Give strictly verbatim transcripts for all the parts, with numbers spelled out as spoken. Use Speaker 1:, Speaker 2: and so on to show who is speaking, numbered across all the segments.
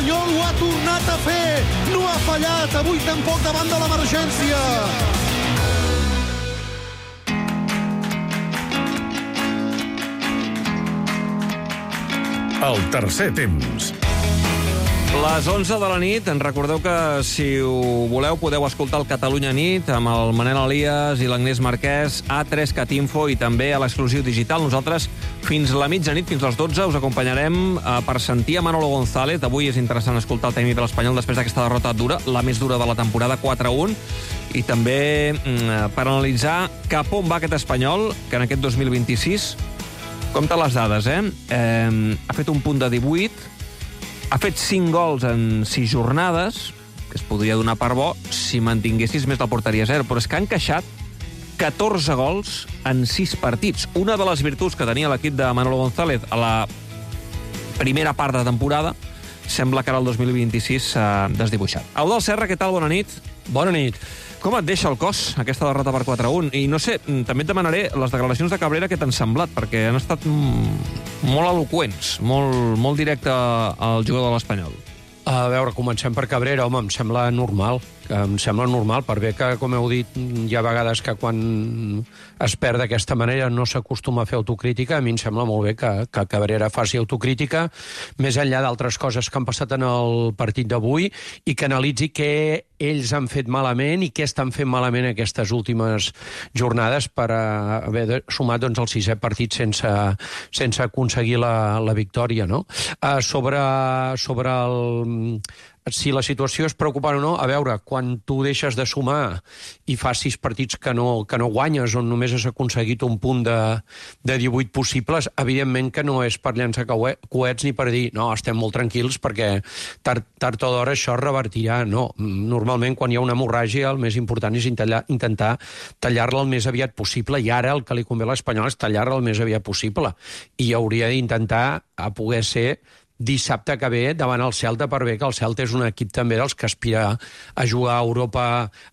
Speaker 1: l'Espanyol ho ha tornat a fer, no ha fallat, avui tampoc davant de l'emergència.
Speaker 2: El tercer temps.
Speaker 3: Les onze de la nit, en recordeu que si ho voleu podeu escoltar el Catalunya Nit amb el Manel Elias i l'Agnès Marquès a tres cat info i també a l'exclusiu digital. Nosaltres fins la mitjanit, fins les dotze, us acompanyarem per sentir a Manolo González. Avui és interessant escoltar el tècnic de l'Espanyol després d'aquesta derrota dura, la més dura de la temporada, quatre a un, i també per analitzar cap on va aquest Espanyol, que en aquest dos mil vint-i-sis, compte les dades, eh? eh ha fet un punt de divuit, ha fet cinc gols en sis jornades, que es podria donar per bo si mantinguessis més la porteria zero, però és que ha encaixat catorze gols en sis partits. Una de les virtuts que tenia l'equip de Manolo González a la primera part de temporada sembla que ara el dos mil vint-i-sis s'ha desdibuixat. Eudald Serra, què tal? Bona nit.
Speaker 4: Bona nit.
Speaker 3: Com et deixa el cos, aquesta derrota per quatre a un? I no sé, també et demanaré les declaracions de Cabrera que t'han semblat, perquè han estat molt eloqüents, molt, molt directe al jugador de l'Espanyol.
Speaker 4: A veure, comencem per Cabrera. Home, em sembla normal. Em sembla normal, per bé que, com heu dit, hi ha vegades que quan es perd d'aquesta manera no s'acostuma a fer autocrítica. A mi em sembla molt bé que, que Cabrera faci autocrítica, més enllà d'altres coses que han passat en el partit d'avui, i que analitzi què ells han fet malament i què estan fent malament aquestes últimes jornades per haver sumat doncs, el sisè partit sense, sense aconseguir la, la victòria, no? Uh, sobre, sobre el... si la situació és preocupant o no, a veure, quan tu deixes de sumar i fas sis partits que no, que no guanyes, on només has aconseguit un punt de, de divuit possibles, evidentment que no és per llançar coets ni per dir, no, estem molt tranquils perquè tard, tard o d'hora això es revertirà. No, normalment quan hi ha una hemorràgia el més important és intentar, intentar tallar-la el més aviat possible, i ara el que li convé a l'Espanyol és tallar-la el més aviat possible, i hauria d'intentar a poder ser dissabte que ve davant el Celta, per bé que el Celta és un equip també dels que aspira a jugar a Europa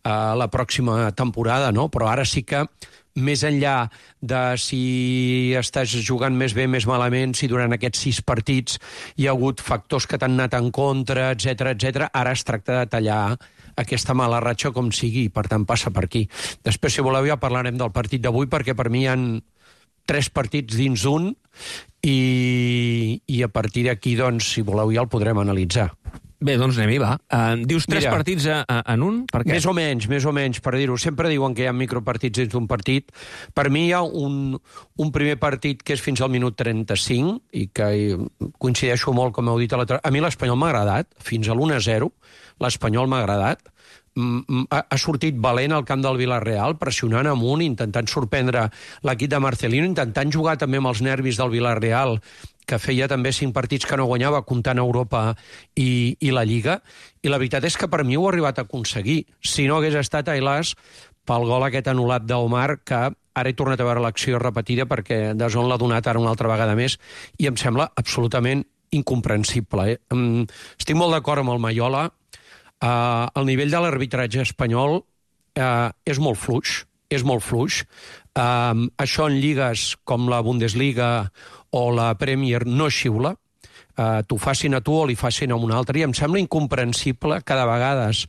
Speaker 4: a la pròxima temporada, no? Però ara sí que, més enllà de si estàs jugant més bé, més malament, si durant aquests sis partits hi ha hagut factors que t'han anat en contra, etcètera, etcètera, ara es tracta de tallar aquesta mala ratxa com sigui, i per tant passa per aquí. Després, si voleu, ja parlarem del partit d'avui, perquè per mi hi ha tres partits dins d'un, i, i a partir d'aquí, doncs, si voleu, ja el podrem analitzar.
Speaker 3: Bé, doncs anem-hi, va. Uh, dius tres Mira, partits a, a, en un? Per què?
Speaker 4: Més o menys, més o menys, per dir-ho. Sempre diuen que hi ha micropartits dins d'un partit. Per mi hi ha un, un primer partit que és fins al minut trenta-cinc, i que coincideixo molt, com heu dit, a, la... a mi l'Espanyol m'ha agradat, fins a l'u a zero, l'Espanyol m'ha agradat. Ha sortit valent al camp del Villarreal, pressionant amunt, intentant sorprendre l'equip de Marcelino, intentant jugar també amb els nervis del Villarreal, que feia també cinc partits que no guanyava, comptant Europa i, i la Lliga, i la veritat és que per mi ho ha arribat a aconseguir. Si no hagués estat, ai-las, pel gol aquest anul·lat d'Omar, que ara he tornat a veure l'acció repetida perquè de zon l'ha donat ara una altra vegada més, i em sembla absolutament incomprensible. Eh? Estic molt d'acord amb el Maiola. Uh, el nivell de l'arbitratge espanyol uh, és molt fluix, és molt fluix. Uh, això en lligues com la Bundesliga o la Premier no xiula. Uh, t'ho facin a tu o li facin a un altre, i em sembla incomprensible que de vegades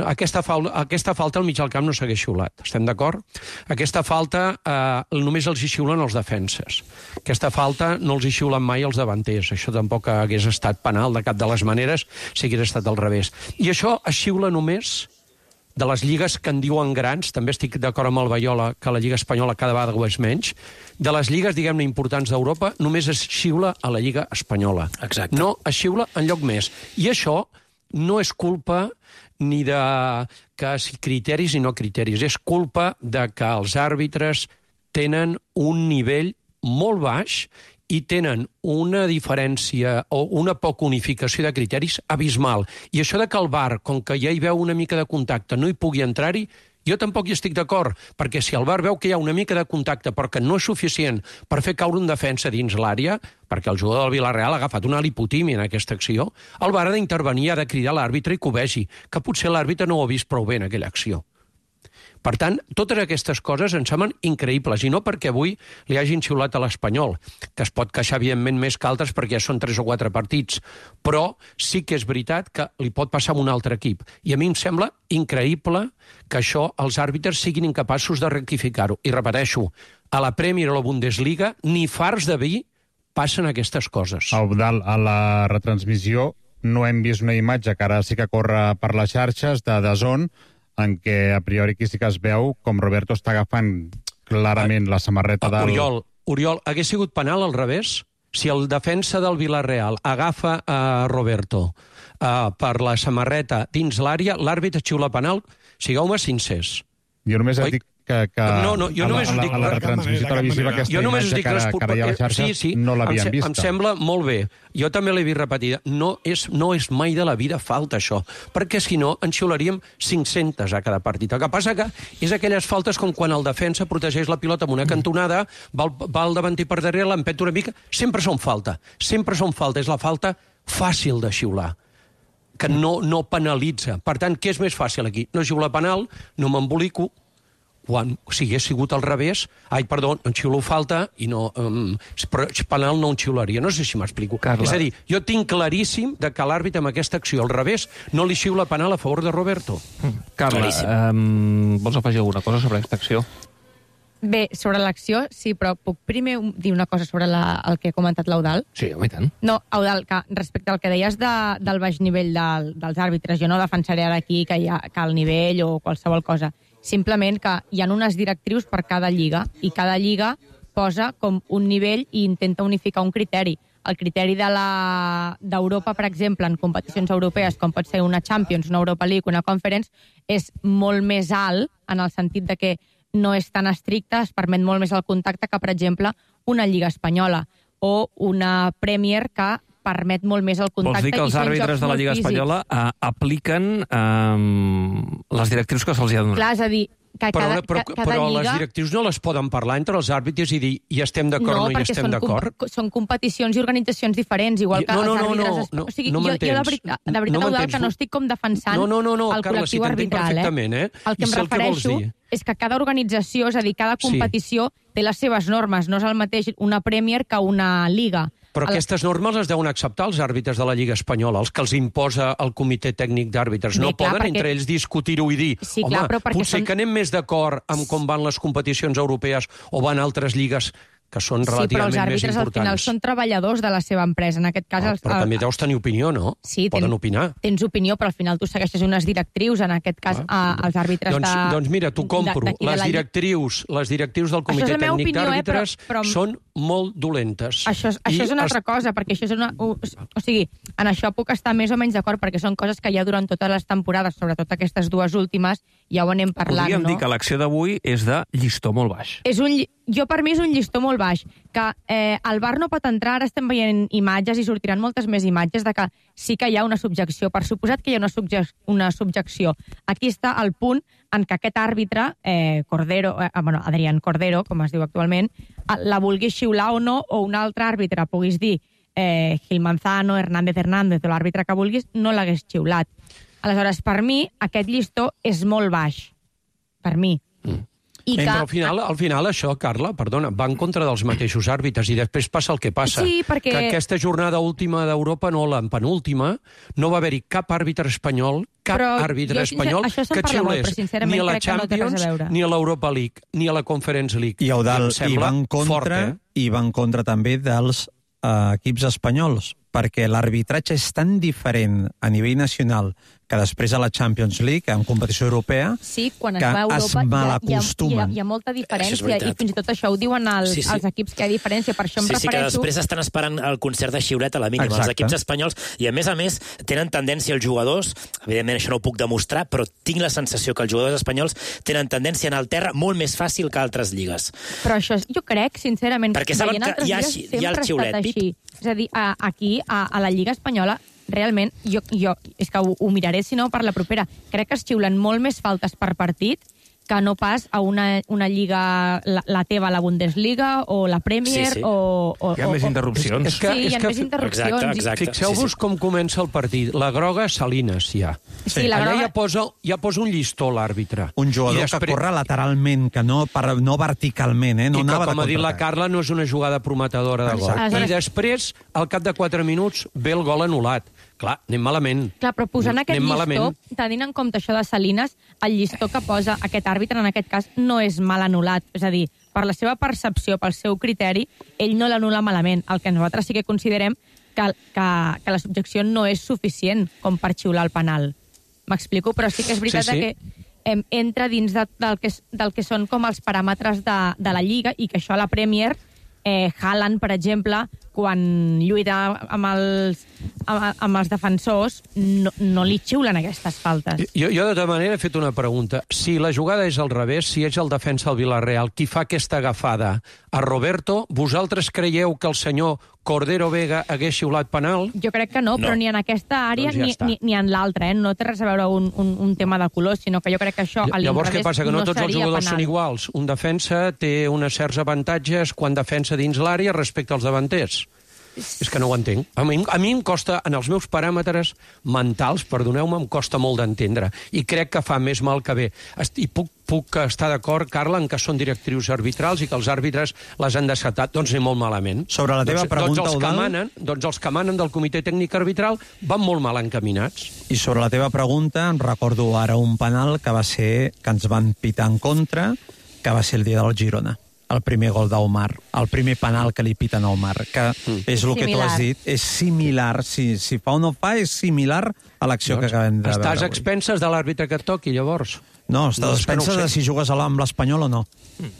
Speaker 4: aquesta, fal aquesta falta al mig del camp no s'hagués xiulat, estem d'acord? Aquesta falta uh, només els hi xiulen els defenses, aquesta falta no els hi xiulen mai els davanters, això tampoc hagués estat penal de cap de les maneres si hagués estat al revés, i això es xiula només de les lligues que en diuen grans, també estic d'acord amb el Baiola que la Lliga Espanyola cada vegada ho és menys, de les lligues, diguem-ne, importants d'Europa, només es xiula a la Lliga Espanyola.
Speaker 3: Exacte.
Speaker 4: No es xiula enlloc més. I això no és culpa ni de que si criteris i no criteris, és culpa de que els àrbitres tenen un nivell molt baix i tenen una diferència o una poca unificació de criteris abismal. I això de que el V A R, com que ja hi veu una mica de contacte, no hi pugui entrar-hi, jo tampoc hi estic d'acord, perquè si el V A R veu que hi ha una mica de contacte però que no és suficient per fer caure un defensa dins l'àrea, perquè el jugador del Villarreal ha agafat una lipotímia en aquesta acció, el V A R ha d'intervenir, ha de cridar l'àrbitre i que ho vegi, que potser l'àrbitre no ho ha vist prou bé en aquella acció. Per tant, totes aquestes coses em semblen increïbles, i no perquè avui li hagin xiulat a l'Espanyol, que es pot queixar, evidentment, més que altres perquè ja són tres o quatre partits, però sí que és veritat que li pot passar amb un altre equip. I a mi em sembla increïble que això els àrbitres siguin incapaços de rectificar-ho. I repeteixo, a la Premier o la Bundesliga, ni farts de vi passen aquestes coses.
Speaker 2: Eudald, a la retransmissió no hem vist una imatge que ara sí que corre per les xarxes de D A Z N, en què a priori aquí sí que es veu com Roberto està agafant clarament la samarreta del...
Speaker 4: Oriol, Oriol, hagués sigut penal al revés? Si el defensa del Villarreal agafa a Roberto uh, per la samarreta dins l'àrea, l'àrbitre xiula penal, sigueu-me sincers.
Speaker 2: Jo només et dic que, que
Speaker 4: no, no, jo només
Speaker 2: a, la,
Speaker 4: dic...
Speaker 2: a la retransmissió televisiva aquesta
Speaker 4: jo
Speaker 2: imatge
Speaker 4: dic
Speaker 2: que, ara, que ara hi ha a les xarxes
Speaker 4: sí, sí,
Speaker 2: no l'havien
Speaker 4: vista. Em sembla molt bé. Jo també l'he vist repetida. No és, no és mai de la vida falta, això, perquè si no en xiularíem cinc-centes a cada partit. El que passa que és aquelles faltes com quan el defensa protegeix la pilota amb una cantonada, va al, va al davanter per darrere, l'empeta una mica... Sempre són falta. Sempre són falta. És la falta fàcil de xiular, que no, no penalitza. Per tant, què és més fàcil aquí? No xiular penal, no m'embolico, quan si hagués sigut al revés, ai, perdó, en xiulo falta i no, um, però penal no en xiularia. No sé si m'explico.
Speaker 3: Carla.
Speaker 4: És a dir, jo tinc claríssim de que l'àrbitre amb aquesta acció al revés no li xiula penal a favor de Roberto.
Speaker 3: Mm. Carla, um, vols afegir alguna cosa sobre aquesta acció?
Speaker 5: Bé, sobre l'acció, sí, però puc primer dir una cosa sobre la, el que ha comentat l'Eudald?
Speaker 3: Sí, home, i tant.
Speaker 5: No, Eudald, que respecte al que deies de, del baix nivell del, dels àrbitres, jo no defensaré ara aquí que hi ha que el nivell o qualsevol cosa. Simplement que hi ha unes directrius per cada lliga i cada lliga posa com un nivell i intenta unificar un criteri. El criteri de la d'Europa, per exemple, en competicions europees, com pot ser una Champions, una Europa League, una Conference, és molt més alt en el sentit de que no és tan estricte, es permet molt més el contacte que, per exemple, una Lliga Espanyola o una Premier que permet molt més el contacte.
Speaker 3: Vols dir que els àrbitres de la Lliga Espanyola uh, apliquen uh, les directrius que se'ls ha donat?
Speaker 5: Clar, és a dir, que
Speaker 4: però,
Speaker 5: cada,
Speaker 4: però,
Speaker 5: cada
Speaker 4: però
Speaker 5: lliga...
Speaker 4: les directrius no les poden parlar entre els àrbitres i dir hi estem d'acord
Speaker 5: no,
Speaker 4: o no hi estem d'acord?
Speaker 5: No, són competicions i organitzacions diferents, igual que
Speaker 4: no, no,
Speaker 5: els àrbitres...
Speaker 4: No, no, no,
Speaker 5: o sigui,
Speaker 4: no
Speaker 5: jo, jo de veritat, de veritat,
Speaker 4: no
Speaker 5: Eudald, que no estic com defensant
Speaker 4: no, no, no, no,
Speaker 5: el
Speaker 4: Carla,
Speaker 5: col·lectiu
Speaker 4: si
Speaker 5: arbitral,
Speaker 4: eh? eh?
Speaker 5: El que em refereixo és que cada organització, és a dir, cada competició sí. té les seves normes, no és el mateix una Premier que una Lliga.
Speaker 4: Però el... aquestes normes les deuen acceptar els àrbitres de la Lliga Espanyola, els que els imposa el comitè tècnic d'àrbitres. No clar, poden perquè... entre ells discutir-ho i dir
Speaker 5: sí,
Speaker 4: home,
Speaker 5: clar,
Speaker 4: potser
Speaker 5: són...
Speaker 4: que anem més d'acord amb com van les competicions europees o van altres lligues que són relativament més importants. Sí, però els
Speaker 5: àrbitres al final són treballadors de la seva empresa. En aquest cas...
Speaker 4: Ah,
Speaker 5: els,
Speaker 4: però
Speaker 5: el...
Speaker 4: també deus tenir opinió, no?
Speaker 5: Sí,
Speaker 4: poden
Speaker 5: ten...
Speaker 4: opinar.
Speaker 5: Tens opinió, però al final tu segueixes unes directrius, en aquest cas, ah, a, als àrbitres
Speaker 4: doncs,
Speaker 5: de...
Speaker 4: Doncs mira, t'ho compro.
Speaker 5: De, de
Speaker 4: les,
Speaker 5: la...
Speaker 4: directrius, les directrius del comitè tècnic
Speaker 5: opinió,
Speaker 4: d'àrbitres
Speaker 5: eh, però, però...
Speaker 4: són molt dolentes.
Speaker 5: Això, això és una altra cosa, perquè això és una... O, o sigui, en això puc estar més o menys d'acord, perquè són coses que ja durant totes les temporades, sobretot aquestes dues últimes, ja ho anem parlant,
Speaker 3: Podríem
Speaker 5: no?
Speaker 3: dir que l'acció d'avui és de llistó molt baix.
Speaker 5: És un... Jo, per mi, és un llistó molt baix, que eh, el V A R no pot entrar, ara estem veient imatges i sortiran moltes més imatges de que sí que hi ha una subjecció. Per suposat que hi ha una, subjec una subjecció. Aquí està el punt en què aquest àrbitre, eh, Cordero, eh, bueno, Adrián Cordero, com es diu actualment, la vulgui xiular o no, o un altre àrbitre, puguis dir eh, Gil Manzano, Hernández Hernández, o l'àrbitre que vulguis, no l'hagués xiulat. Aleshores, per mi, aquest llistó és molt baix. Per mi.
Speaker 4: Mm.
Speaker 5: I que...
Speaker 4: Però al final, al final això, Carla, perdona, va en contra dels mateixos àrbitres i després passa el que passa.
Speaker 5: Sí, perquè...
Speaker 4: Que aquesta jornada última d'Europa, no la penúltima, no va haver-hi cap àrbitre espanyol, cap
Speaker 5: però
Speaker 4: àrbitre
Speaker 5: jo,
Speaker 4: espanyol que xiulés
Speaker 5: molt,
Speaker 4: ni a la
Speaker 5: Champions,
Speaker 4: no ni a l'Europa League, ni a la Conference League.
Speaker 6: I Eudald, i va en contra,
Speaker 4: fort, eh?
Speaker 6: i va en contra també dels uh, equips espanyols, perquè l'arbitratge és tan diferent a nivell nacional que després a la Champions League, en competició europea,
Speaker 5: sí, quan
Speaker 6: que
Speaker 5: es, va a Europa,
Speaker 6: es malacostumen.
Speaker 5: Hi ha, hi, ha, hi ha molta diferència, i fins i tot això ho diuen el, sí, sí. els equips, que hi ha diferència. Per això em
Speaker 7: sí,
Speaker 5: refereixo...
Speaker 7: Sí, que després estan esperant el concert de xiulet a la mínima.
Speaker 6: Exacte.
Speaker 7: Els equips espanyols, i a més a més, tenen tendència els jugadors, evidentment això no ho puc demostrar, però tinc la sensació que els jugadors espanyols tenen tendència a anar al terra molt més fàcil que altres lligues.
Speaker 5: Però això, jo crec, sincerament,
Speaker 7: perquè saben que hi ha, hi ha el xiulet.
Speaker 5: Així. És a dir, a, aquí, a, a la Lliga Espanyola, realment, jo, jo és que ho, ho miraré, si no, per la propera. Crec que es xiulen molt més faltes per partit que no pas a una, una lliga, la, la teva, la Bundesliga, o la Premier,
Speaker 7: Sí, sí.
Speaker 5: o, o...
Speaker 3: Hi ha
Speaker 5: o,
Speaker 3: més interrupcions.
Speaker 4: És que-
Speaker 5: Sí, hi ha
Speaker 4: és que-
Speaker 5: més interrupcions.
Speaker 7: Exacte, exacte.
Speaker 4: Fixeu-vos
Speaker 7: Sí, sí.
Speaker 4: com comença el partit. La groga, Salines, ja.
Speaker 5: Sí, la
Speaker 4: Allà
Speaker 5: groga...
Speaker 4: ja posa, ja posa un llistó l'àrbitre.
Speaker 6: Un jugador
Speaker 4: I després-
Speaker 6: que corre lateralment, que no, per, no verticalment, eh? no
Speaker 4: I que,
Speaker 6: anava
Speaker 4: com
Speaker 6: de
Speaker 4: ha dit la
Speaker 6: contraatac.
Speaker 4: Carla, no és una jugada prometedora de gol.
Speaker 5: Exacte.
Speaker 4: I després, al cap de quatre minuts, ve el gol anul·lat. Clar, anem malament.
Speaker 5: Clar, però posant aquest
Speaker 4: Anem
Speaker 5: llistó,
Speaker 4: malament.
Speaker 5: tenint en compte això de Salines, el llistó que posa aquest àrbitre, en aquest cas, no és mal anul·lat. És a dir, per la seva percepció, pel seu criteri, ell no l'anul·la malament. El que nosaltres sí que considerem que, que, que la subjecció no és suficient com per xiular el penal. M'explico? Però sí que és veritat
Speaker 4: Sí, sí.
Speaker 5: que em, entra dins de, del, que, del que són com els paràmetres de, de la Lliga i que això a la Premier, eh, Haaland, per exemple, quan lluita amb els, amb, amb els defensors, no, no li xiulen aquestes faltes.
Speaker 4: Jo, jo, de tota manera, he fet una pregunta. Si la jugada és al revés, si és el defensa del Villarreal qui fa aquesta agafada a Roberto, vosaltres creieu que el senyor Cordero Vega hagués xiulat penal?
Speaker 5: Jo crec que no,
Speaker 7: No.
Speaker 5: però ni en aquesta àrea
Speaker 4: Doncs ja
Speaker 5: ni,
Speaker 4: està.
Speaker 5: ni, ni en l'altra, eh? No té res a veure un, un, un tema de color, sinó que jo crec que això a
Speaker 4: Llavors, què
Speaker 5: l'inrevés
Speaker 4: passa? Que no, tots els
Speaker 5: seria
Speaker 4: jugadors
Speaker 5: penal.
Speaker 4: són iguals. Un defensa té uns certs avantatges quan defensa dins l'àrea respecte als davanters. És que no ho entenc. A mi, a mi em costa, en els meus paràmetres mentals, perdoneu-me, em costa molt d'entendre. I crec que fa més mal que bé. Est- I puc, puc estar d'acord, Carla, en que són directrius arbitrals i que els àrbitres les han desatat. Doncs anem molt malament.
Speaker 6: Sobre la teva
Speaker 4: doncs,
Speaker 6: pregunta,
Speaker 4: doncs els, que
Speaker 6: Eudald.
Speaker 4: manen, doncs els que manen del comitè tècnic arbitral van molt mal encaminats.
Speaker 6: I sobre la teva pregunta, em recordo ara un penal que va ser que ens van pitar en contra, que va ser el dia del Girona. El primer gol d'Omar, el primer penal que li piten a Omar, que mm. és el que tu
Speaker 5: Similar.
Speaker 6: has dit, és similar, si, si fa o no fa, és similar a l'acció que acabem de
Speaker 4: Estàs
Speaker 6: veure
Speaker 4: a expenses de l'àrbitre que et toqui, llavors?
Speaker 6: No, estàs
Speaker 4: No,
Speaker 6: a
Speaker 4: és que no ho
Speaker 6: expenses
Speaker 4: sé.
Speaker 6: de si jugues a la- amb l'Espanyol o no.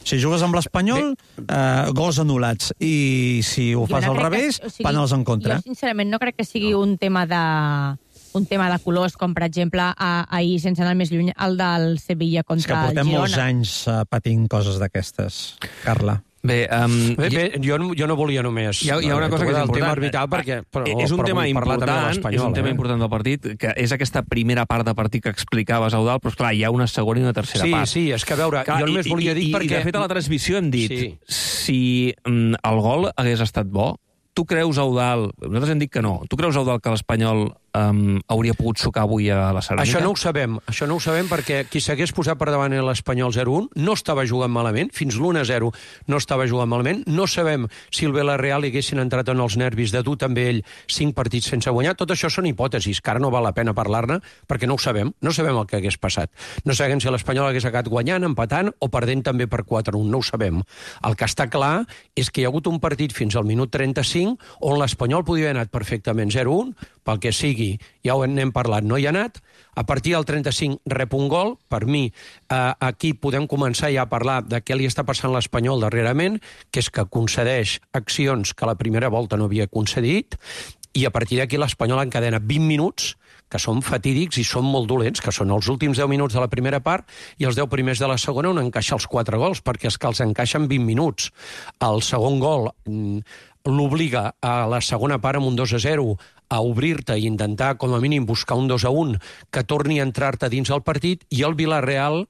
Speaker 6: Si jugues amb l'Espanyol, eh, gols anul·lats. I si ho
Speaker 5: Jo
Speaker 6: fas
Speaker 5: no
Speaker 6: al
Speaker 5: crec que-
Speaker 6: revés,
Speaker 5: o sigui,
Speaker 6: penals en contra.
Speaker 5: Jo, sincerament, no crec que sigui un tema de un tema de colors, com per exemple a, ahir, sense anar més lluny, el del Sevilla
Speaker 6: És que
Speaker 5: contra el
Speaker 6: portem
Speaker 5: Girona.
Speaker 6: molts anys eh, patint coses d'aquestes, Carla.
Speaker 3: Bé, um,
Speaker 4: Bé, bé, jo, no- jo no volia només...
Speaker 3: Hi ha, hi ha una cosa que és
Speaker 4: el
Speaker 3: important.
Speaker 4: tema arbitral, perquè, però,
Speaker 3: és un
Speaker 4: però
Speaker 3: tema
Speaker 4: vull parlar també de
Speaker 3: important,
Speaker 4: l'Espanyol,
Speaker 3: és un tema
Speaker 4: eh?
Speaker 3: important del partit, que és aquesta primera part de partit que explicaves, Eudald, però esclar, hi ha una segona i una tercera
Speaker 4: Sí,
Speaker 3: part.
Speaker 4: sí, és que a veure,
Speaker 3: Clar,
Speaker 4: jo només
Speaker 3: i-
Speaker 4: volia
Speaker 3: i,
Speaker 4: dir
Speaker 3: i,
Speaker 4: perquè...
Speaker 3: I de fet a la transmissió hem dit,
Speaker 4: Sí.
Speaker 3: si mm, el gol hagués estat bo, tu creus, Eudald, nosaltres hem dit que no, tu creus, Eudald, que l'Espanyol um, hauria pogut sucar avui a la Ceràmica?
Speaker 4: Això no ho sabem, això no ho sabem perquè qui s'hagués posat per davant l'Espanyol zero un no estava jugant malament, fins l'u a zero no estava jugant malament, no sabem si el Villarreal haguessin entrat en els nervis de dur també ell cinc partits sense guanyar, tot això són hipòtesis, que ara no val la pena parlar-ne perquè no ho sabem, no sabem el que hagués passat. No sabem si l'Espanyol hagués acabat guanyant, empatant o perdent també per quatre un, no ho sabem. El que està clar és que hi ha hagut un partit fins al minut trenta-cinc on l'Espanyol podia haver anat perfectament zero un, pel que sigui, ja ho n'hem parlat, no hi ha anat. A partir del trenta-cinc rep un gol. Per mi, eh, aquí podem començar ja a parlar de què li està passant a l'Espanyol darrerament, que és que concedeix accions que a la primera volta no havia concedit, i a partir d'aquí l'Espanyol encadena vint minuts que són fatídics i són molt dolents, que són els últims deu minuts de la primera part i els deu primers de la segona on encaixa els quatre gols, perquè és que els encaixen vint minuts. El segon gol mm, l'obliga a la segona part amb un dos a zero a obrir-te i intentar, com a mínim, buscar un dos a un que torni a entrar-te dins el partit, i el Villarreal,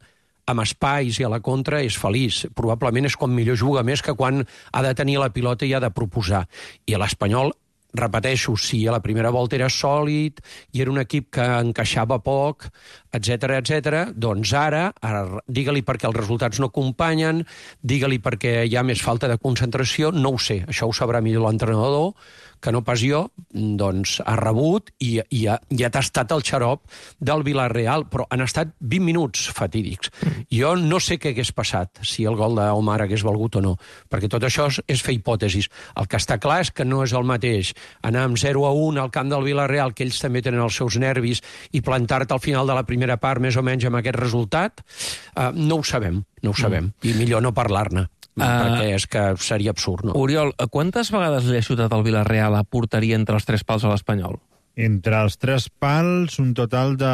Speaker 4: amb espais i a la contra, és feliç. Probablement és quan millor juga, més que quan ha de tenir la pilota i ha de proposar. I l'Espanyol, repeteixo, si a la primera volta era sòlid i era un equip que encaixava poc, etc etc, doncs ara, ara digue-li perquè els resultats no acompanyen, digue-li perquè hi ha més falta de concentració, no ho sé, això ho sabrà millor l'entrenador, que no pas jo, doncs ha rebut i, i ha, ja t'ha estat el xarop del Villarreal, però han estat vint minuts fatídics. Jo no sé què hagués passat, si el gol d'Omar hagués valgut o no, perquè tot això és, és fer hipòtesis. El que està clar és que no és el mateix anar amb zero a un al camp del Villarreal, que ells també tenen els seus nervis, i plantar-te al final de la primera part més o menys amb aquest resultat, uh, no ho sabem, no ho sabem, mm. i millor no parlar-ne. Uh, perquè és que seria absurd, no?
Speaker 3: Oriol, quantes vegades li ha xutat el Villarreal a porteria entre els tres pals a l'Espanyol?
Speaker 2: Entre els tres pals, un total de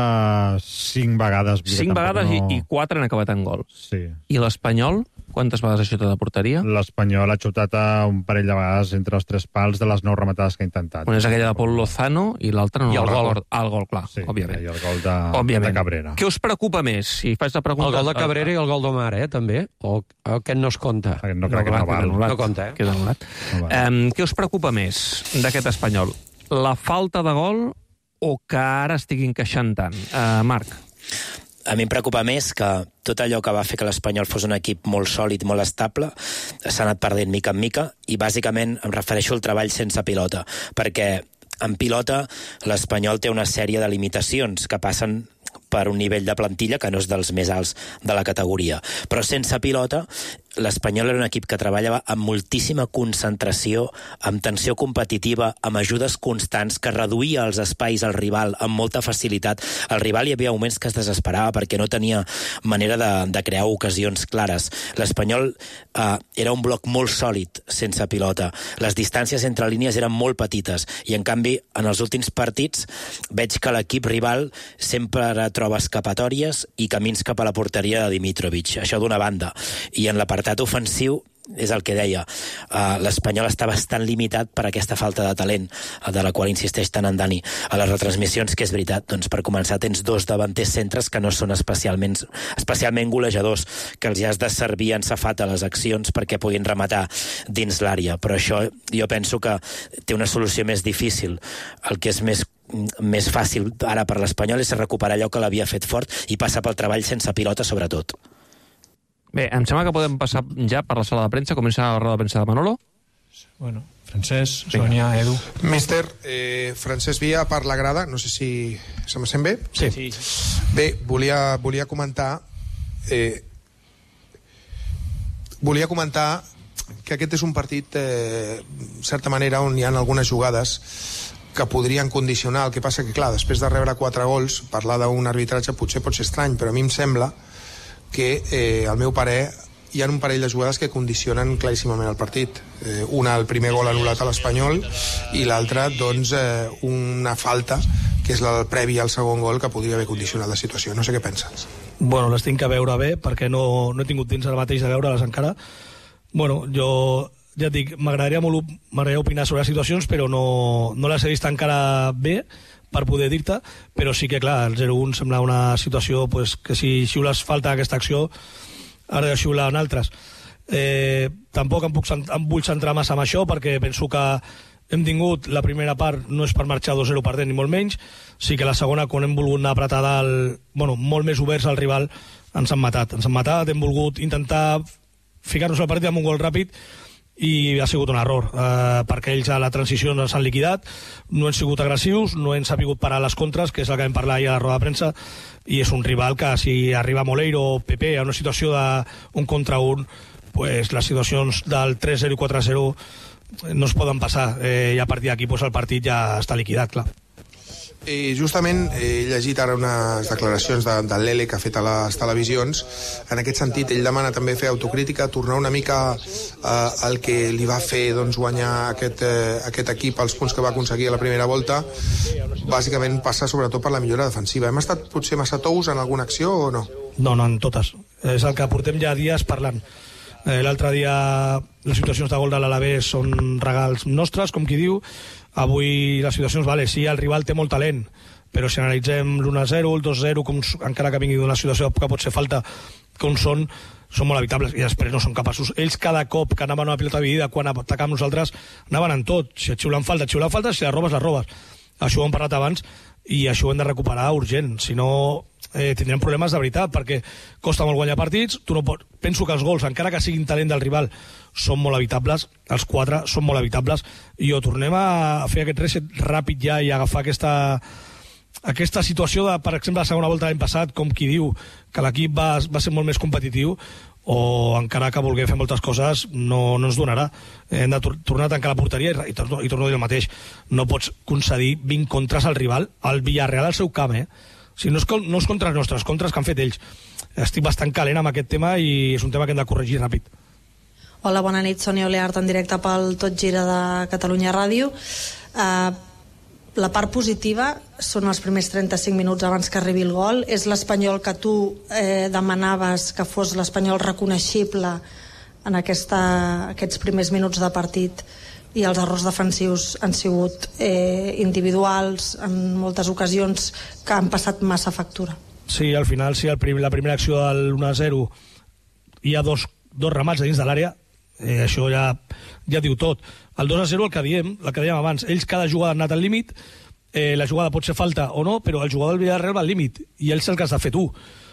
Speaker 2: cinc vegades.
Speaker 3: Cinc vegades no... i, i quatre han acabat en gol.
Speaker 2: Sí.
Speaker 3: I l'Espanyol? Quantes vegades ha xutat a porteria?
Speaker 2: L'Espanyol ha xutat a un parell de vegades entre els tres pals de les nou rematades que ha intentat.
Speaker 3: Una és aquella de Pol Lozano i l'altra no
Speaker 4: I el
Speaker 3: el
Speaker 4: gol.
Speaker 3: record. Ah, el gol, clar,
Speaker 2: Sí,
Speaker 3: òbviament.
Speaker 2: i el gol de,
Speaker 3: Òbviament.
Speaker 2: de Cabrera.
Speaker 3: Què us preocupa més? Si faig la pregunta...
Speaker 4: El gol de Cabrera i el gol d'Omar, eh, també? O aquest no es compta?
Speaker 2: No crec que no val.
Speaker 4: No compta, eh?
Speaker 3: Queda anul·lat.
Speaker 2: No val.
Speaker 3: Um, què us preocupa més d'aquest Espanyol? La falta de gol o que ara estigui encaixant tant? Uh, Marc?
Speaker 7: A mi em preocupa més que tot allò que va fer que l'Espanyol fos un equip molt sòlid, molt estable, s'ha anat perdent mica en mica, i bàsicament em refereixo al treball sense pilota, perquè en pilota l'Espanyol té una sèrie de limitacions que passen per un nivell de plantilla que no és dels més alts de la categoria. Però sense pilota, l'Espanyol era un equip que treballava amb moltíssima concentració, amb tensió competitiva, amb ajudes constants, que reduïa els espais al rival amb molta facilitat. El rival hi havia moments que es desesperava perquè no tenia manera de, de crear ocasions clares. L'Espanyol eh, era un bloc molt sòlid sense pilota. Les distàncies entre línies eren molt petites i, en canvi, en els últims partits veig que l'equip rival sempre troba escapatòries i camins cap a la porteria de Dimitrovic. Això d'una banda. I en l'apartat ofensiu, és el que deia, uh, l'Espanyol està bastant limitat per aquesta falta de talent, uh, de la qual insisteix tant en Dani a les retransmissions, que és veritat, doncs per començar tens dos davanters centres que no són especialment, especialment golejadors, que els has de servir en safata a les accions perquè puguin rematar dins l'àrea, però això jo penso que té una solució més difícil. El que és més més fàcil ara per l'Espanyol és recuperar allò que l'havia fet fort i passar pel treball sense pilota, sobretot.
Speaker 3: Bé, em sembla que podem passar ja per la sala de premsa. Comença la roda de premsa de Manolo.
Speaker 8: Bueno, Francesc, Sònia, Edu.
Speaker 9: Míster, eh, Francesc Via per la grada, no sé si se me sent bé?
Speaker 8: Sí. sí.
Speaker 9: Bé, volia, volia comentar eh, volia comentar que aquest és un partit eh, en certa manera on hi ha algunes jugades que podrien condicionar. El que passa que, clar, després de rebre quatre gols, parlar d'un arbitratge potser pot ser estrany, però a mi em sembla que, eh, al meu parer, hi ha un parell de jugades que condicionen claríssimament el partit. Eh, una, el primer gol anul·lat a l'Espanyol, i l'altra, doncs, eh, una falta, que és el previ al segon gol, que podria haver condicionat la situació. No sé què penses.
Speaker 8: Bueno, les tinc que veure bé, perquè no, no he tingut temps ara mateix de veure-les encara. Bueno, jo... ja et dic, m'agradaria molt m'agradaria opinar sobre les situacions, però no, no les he vist encara bé per poder dir-te, però sí que, clar, el zero un sembla una situació pues, que si xiules falta aquesta acció, ara de xiular en altres. Eh, tampoc em, puc, em vull centrar massa en això, perquè penso que hem tingut la primera part, no és per marxar dos zero perdent, ni molt menys, sí que la segona, quan hem volgut anar a apretar dalt, bueno, molt més oberts al rival, ens han matat. Ens han matat, hem volgut intentar ficar-nos al partit amb un gol ràpid, i ha sigut un error, eh, perquè ells a la transició no s'han liquidat, no han sigut agressius, no han sabut parar les contres, que és el que vam parlar ahir a la roda de premsa, i és un rival que si arriba Moleiro o Pepe a una situació d'un contra un, pues, les situacions del tres zero i quatre zero no es poden passar, eh, i a partir d'aquí pues, el partit ja està liquidat, clar.
Speaker 9: Eh, justament he llegit ara unes declaracions de, de l'Ele que ha fet a les televisions. En aquest sentit, ell demana també fer autocrítica, tornar una mica eh, al que li va fer doncs, guanyar aquest, eh, aquest equip els punts que va aconseguir a la primera volta. Bàsicament passa sobretot per la millora defensiva. Hem estat potser massa tous en alguna acció o no?
Speaker 8: No, no, en totes. És el que portem ja dies parlant. Eh, L'altre dia les situacions de gol de l'Alavés són regals nostres, com qui diu. Avui les situacions, vale, sí, el rival té molt talent, però si analitzem l'u a zero, el dos a zero, com, encara que vingui d'una situació que pot ser falta, com són, són molt evitables, i després no són capaços. Ells cada cop que anaven a una pilota dividida, quan atacàvem nosaltres, anaven en tot. Si et xiulen falta, et xiulen falta, si la robes, la robes. Això ho hem parlat abans, i això ho hem de recuperar urgent, si no eh, tindrem problemes de veritat, perquè costa molt guanyar partits, tu no pots... Penso que els gols, encara que siguin talent del rival, són molt evitables, els quatre són molt evitables, i o tornem a fer aquest reset ràpid ja i agafar aquesta, aquesta situació de, per exemple, la segona volta l'any passat, com qui diu que l'equip va, va ser molt més competitiu, o encara que vulguem fer moltes coses no, no ens donarà. Hem de tor tornar a tancar la porteria i, i, torno, i torno a dir el mateix. No pots concedir vint contres al rival, al Villarreal al seu camp, eh? O sigui, no, és, no és contra els nostres, contres que han fet ells. Estic bastant calent amb aquest tema i és un tema que hem de corregir ràpid.
Speaker 10: Hola, bona nit, Sònia Oleart, en directe pel Tot Gira de Catalunya Ràdio. Uh, la part positiva són els primers trenta-cinc minuts abans que arribi el gol. És l'Espanyol que tu eh, demanaves que fos l'Espanyol reconeixible en aquesta, aquests primers minuts de partit, i els errors defensius han sigut eh, individuals en moltes ocasions que han passat massa factura.
Speaker 8: Sí, al final, sí, el prim, la primera acció del u a zero hi ha dos, dos ramats dins de l'àrea, eh, això ja, ja diu tot. El dos a zero, el que diem, el que dèiem abans, ells cada jugada han anat al límit, eh, la jugada pot ser falta o no, però el jugador del Villarreal va al límit, i ells el que has de fer tu.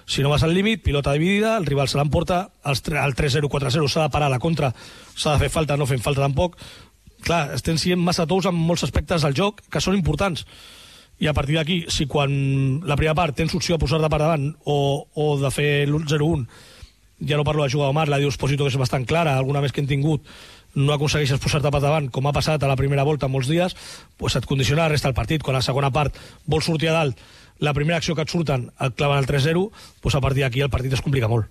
Speaker 8: Si no vas al límit, pilota dividida, el rival se l'emporta, el tres zero, quatre zero s'ha de parar a la contra, s'ha de fer falta, no fent falta tampoc. Clar, estem sent massa tous en molts aspectes del joc que són importants. I a partir d'aquí, si quan la primera part tens opció a posar-te per davant o, o de fer l'u zero un, ja no parlo de jugar a Omar, la d'Espósito, que és bastant clara, alguna més que hem tingut, no aconsegueixes posar-te per davant, com ha passat a la primera volta molts dies, pues et condiciona la resta del partit. Quan a la segona part vols sortir a dalt, la primera acció que et surten et claven el tres zero, pues a partir d'aquí el partit es complica molt.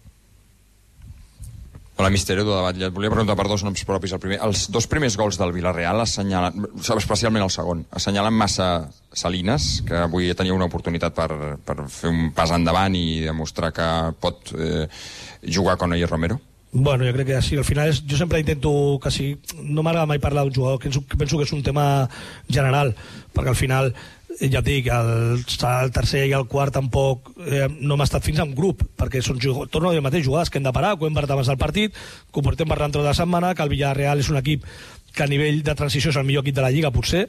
Speaker 11: Hola, Mister Edu de Batlle. Et volia preguntar per dos noms propis. El primer, els dos primers gols del Villarreal assenyalen, especialment el segon, assenyalen massa Salinas, que avui tenia una oportunitat per, per fer un pas endavant i demostrar que pot eh, jugar con ell Romero?
Speaker 8: Bueno, jo crec que sí. Al final és, jo sempre intento que sí, no m'agrada mai parlar d'un jugador, que penso que és un tema general, perquè al final, ja et dic, el, el tercer i el quart tampoc eh, no hem estat fins a un grup, perquè són, torno a dir el mateix, jugades que hem de parar, que ho hem parlat abans del partit, que ho portem parlant tota la setmana, que el Villarreal és un equip que a nivell de transició és el millor equip de la Lliga, potser,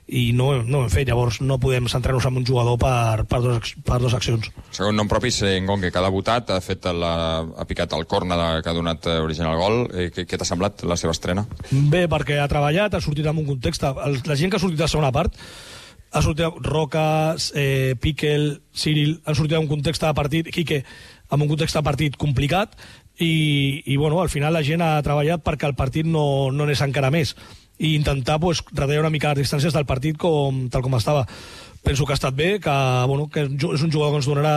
Speaker 8: i no, no ho hem fet. Llavors no podem centrar-nos en un jugador per, per, dos, per dos accions.
Speaker 11: Segon nom propi és Ngonge, que ha debutat, ha, fet la, ha picat el córner que ha donat origen al gol. Eh, què què t'ha semblat la seva estrena?
Speaker 8: Bé, perquè ha treballat, ha sortit en un context. El, la gent que ha sortit a la segona part ha sortit Roca, eh, Piquel, Cyril, han sortit en un context de partit, Quique, en un context de partit complicat, i, i bueno, al final la gent ha treballat perquè el partit no, no anés encara més, i intentar pues, retallar una mica les distàncies del partit com, tal com estava. Penso que ha estat bé, que, bueno, que és un jugador que ens donarà,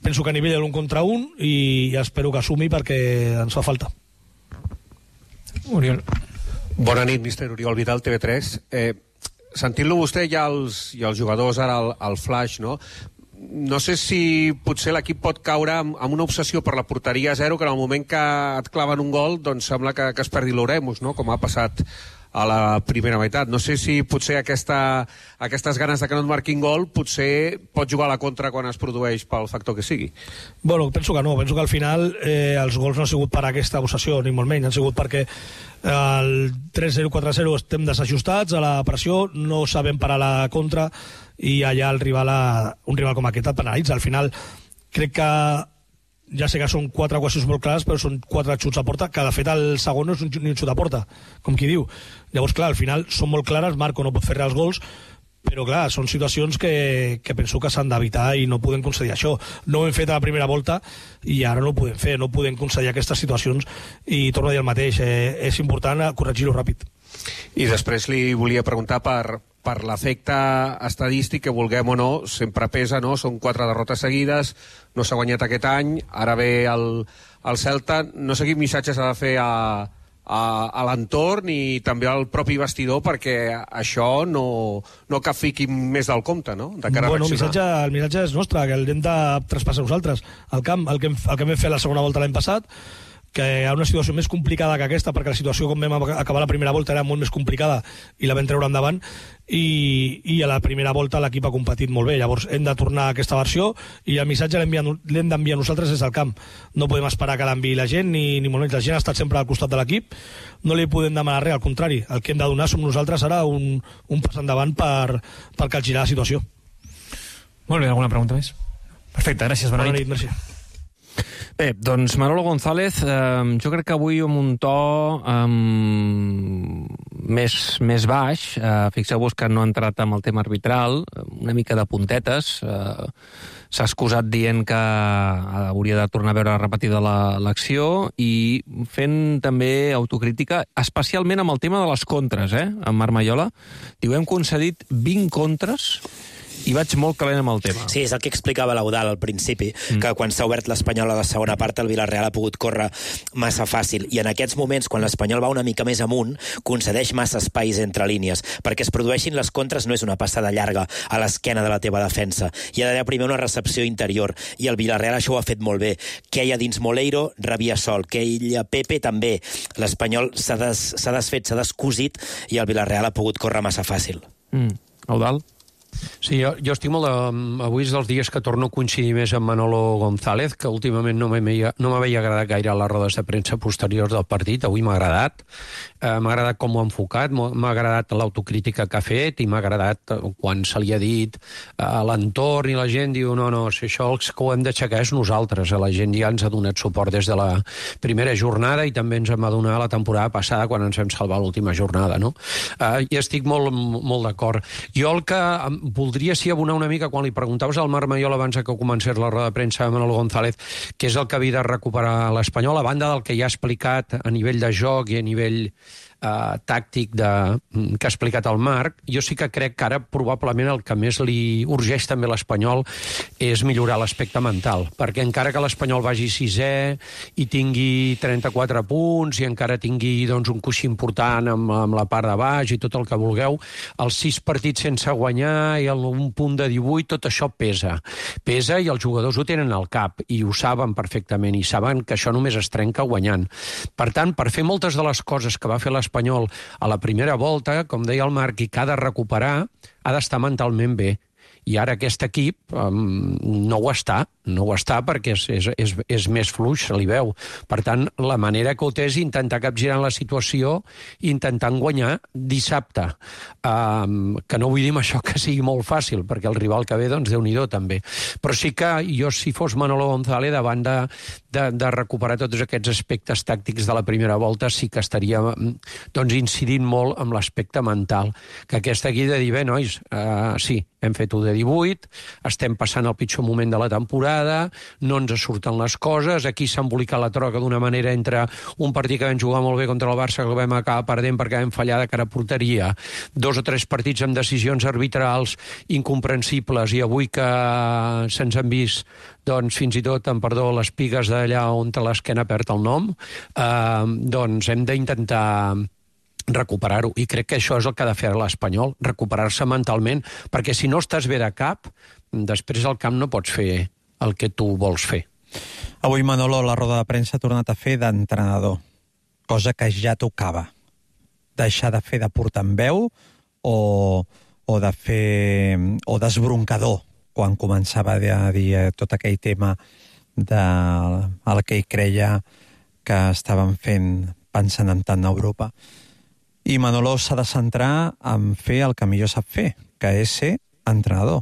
Speaker 8: penso que a nivell de l'un contra un, i espero que assumi perquè ens fa falta.
Speaker 4: Oriol. Bona nit, mister Oriol Vidal, T V tres. Eh, Sentint-lo vostè i els, i els jugadors ara al, al flash, no? No sé si potser l'equip pot caure amb, amb una obsessió per la porteria a zero, que en el moment que et claven un gol doncs sembla que, que es perdi l'Oremus, no? Com ha passat a la primera meitat. No sé si potser aquesta, aquestes ganes de que no et marquin gol potser pot jugar a la contra quan es produeix pel factor que sigui.
Speaker 8: Bueno, penso que no. Penso que al final eh, els gols no han sigut per aquesta obsessió, ni molt menys. Han sigut perquè el tres zero, quatre zero estem desajustats a la pressió, no sabem parar la contra, i allà el rival a, un rival com aquest et penalitza. Al final crec que ja sé que són quatre equacions molt clares, però són quatre xuts a porta, que de fet el segon no és un, ni un xut a porta, com qui diu. Llavors, clar, al final són molt clares, Marco no pot fer res als gols, però clar, són situacions que, que penso que s'han d'evitar i no podem concedir això. No ho hem fet a la primera volta i ara no ho podem fer, no podem concedir aquestes situacions, i torno a dir el mateix, eh, és important corregir-ho ràpid.
Speaker 4: I després li volia preguntar per, per l'efecte estadístic, que vulguem o no, sempre pesa, no? Són quatre derrotes seguides, no s'ha guanyat aquest any, ara ve el, el Celta, no sé quin missatge s'ha de fer a, a, a l'entorn i també al propi vestidor perquè això no, no que fiqui més del compte, no? De cara
Speaker 8: bueno,
Speaker 4: a
Speaker 8: el missatge, el missatge és nostre, que l'hem de traspassar nosaltres al camp, el que, hem, el que vam fer la segona volta l'any passat, que hi ha una situació més complicada que aquesta, perquè la situació com vam acabar la primera volta era molt més complicada i la vam treure endavant, i, i a la primera volta l'equip ha competit molt bé. Llavors hem de tornar a aquesta versió, i el missatge l'hem d'enviar nosaltres des del camp. No podem esperar que l'enviï la gent, ni, ni molt menys. La gent ha estat sempre al costat de l'equip, no li podem demanar res, al contrari, el que hem de donar som nosaltres ara un, un pas endavant per, per capgirar la situació.
Speaker 12: Molt bé, alguna pregunta més? Perfecte, gràcies, bona,
Speaker 8: bona
Speaker 12: nit.
Speaker 8: nit. Merci.
Speaker 3: Bé, doncs Manolo González, eh, jo crec que avui amb un to eh, més, més baix, eh, fixeu-vos que no ha entrat amb el tema arbitral, una mica de puntetes, eh, s'ha excusat dient que hauria de tornar a veure repetida l'acció i fent també autocrítica, especialment amb el tema de les contres, eh, amb Marc Maiola. Diu, hem concedit vint contres i vaig molt calent amb el tema.
Speaker 7: Sí, és el que explicava l'Eudal al principi, mm. que quan s'ha obert l'Espanyol a la segona part, el Villarreal ha pogut córrer massa fàcil. I en aquests moments, quan l'Espanyol va una mica més amunt, concedeix massa espais entre línies. Perquè es produeixin les contres no és una passada llarga a l'esquena de la teva defensa. Hi ha d'haver primer una recepció interior. I el Villarreal això ho ha fet molt bé. Queia dins Moleiro, rebia sol. Queia Pepe també. L'Espanyol s'ha des, s'ha desfet, s'ha descosit i el Villarreal ha pogut córrer massa fàcil.
Speaker 3: Mm. Eudal?
Speaker 4: Sí, jo, jo estic molt... De, avui és dels dies que torno a coincidir més amb Manolo González, que últimament no m'havia no agradat gaire a les rodes de premsa posteriors del partit. Avui m'ha agradat. Eh, m'ha agradat com ho ha enfocat, m'ha agradat l'autocrítica que ha fet i m'ha agradat quan se li ha dit a l'entorn i la gent diu no, no, si això els que ho hem d'aixecar és nosaltres. La gent ja ens ha donat suport des de la primera jornada i també ens en va donar la temporada passada quan ens vam salvar l'última jornada, no? Eh, I estic molt, molt d'acord. Jo el que voldria sí abonar una mica quan li preguntaves al Marc Maiol abans que comencés la roda de premsa de Manolo González què és el que havia de recuperar l'Espanyol, a banda del que ja ha explicat a nivell de joc i a nivell Uh, tàctic de, que ha explicat el Marc, jo sí que crec que ara probablement el que més li urgeix també l'Espanyol és millorar l'aspecte mental, perquè encara que l'Espanyol vagi sisè i tingui trenta-quatre punts i encara tingui doncs, un coixí important amb, amb la part de baix i tot el que vulgueu, els sis partits sense guanyar i el, un punt de divuit, tot això pesa. Pesa i els jugadors ho tenen al cap i ho saben perfectament i saben que això només es trenca guanyant. Per tant, per fer moltes de les coses que va fer l'Espanyol Espanyol a la primera volta, com deia el Marc, i que ha de recuperar, ha d'estar mentalment bé. I ara aquest equip um, no ho està, no ho està perquè és, és, és, és més fluix, se li veu. Per tant, la manera que ho té és intentar capgirar la situació intentant guanyar dissabte. Um, que no vull dir amb això que sigui molt fàcil, perquè el rival que ve, doncs, Déu-n'hi-do també. Però sí que jo, si fos Manolo González, davant de, de, de recuperar tots aquests aspectes tàctics de la primera volta, sí que estaria doncs, incidint molt amb l'aspecte mental. Que aquesta aquí de dir, bé, nois, uh, sí, hem fet un de divuit, estem passant el pitjor moment de la temporada, no ens surten les coses, aquí s'ha embolicat la troca d'una manera entre un partit que vam jugar molt bé contra el Barça que el vam acabar perdent perquè vam fallar de cara a porteria, dos o tres partits amb decisions arbitrals incomprensibles i avui que se'ns han vist doncs fins i tot, en perdó, les pigues d'allà on l'esquena perd el nom, eh, doncs hem d'intentar recuperar-ho, i crec que això és el que ha de fer l'Espanyol, recuperar-se mentalment, perquè si no estàs bé de cap, després al camp no pots fer el que tu vols fer.
Speaker 6: Avui Manolo a la roda de premsa ha tornat a fer d'entrenador, cosa que ja tocava. Deixar de fer de portaveu o, o de fer o d'esbroncador, quan començava a dir tot aquell tema del que ell creia que estaven fent pensant en tant a Europa. I Manolo s'ha de centrar en fer el que millor sap fer, que és ser entrenador,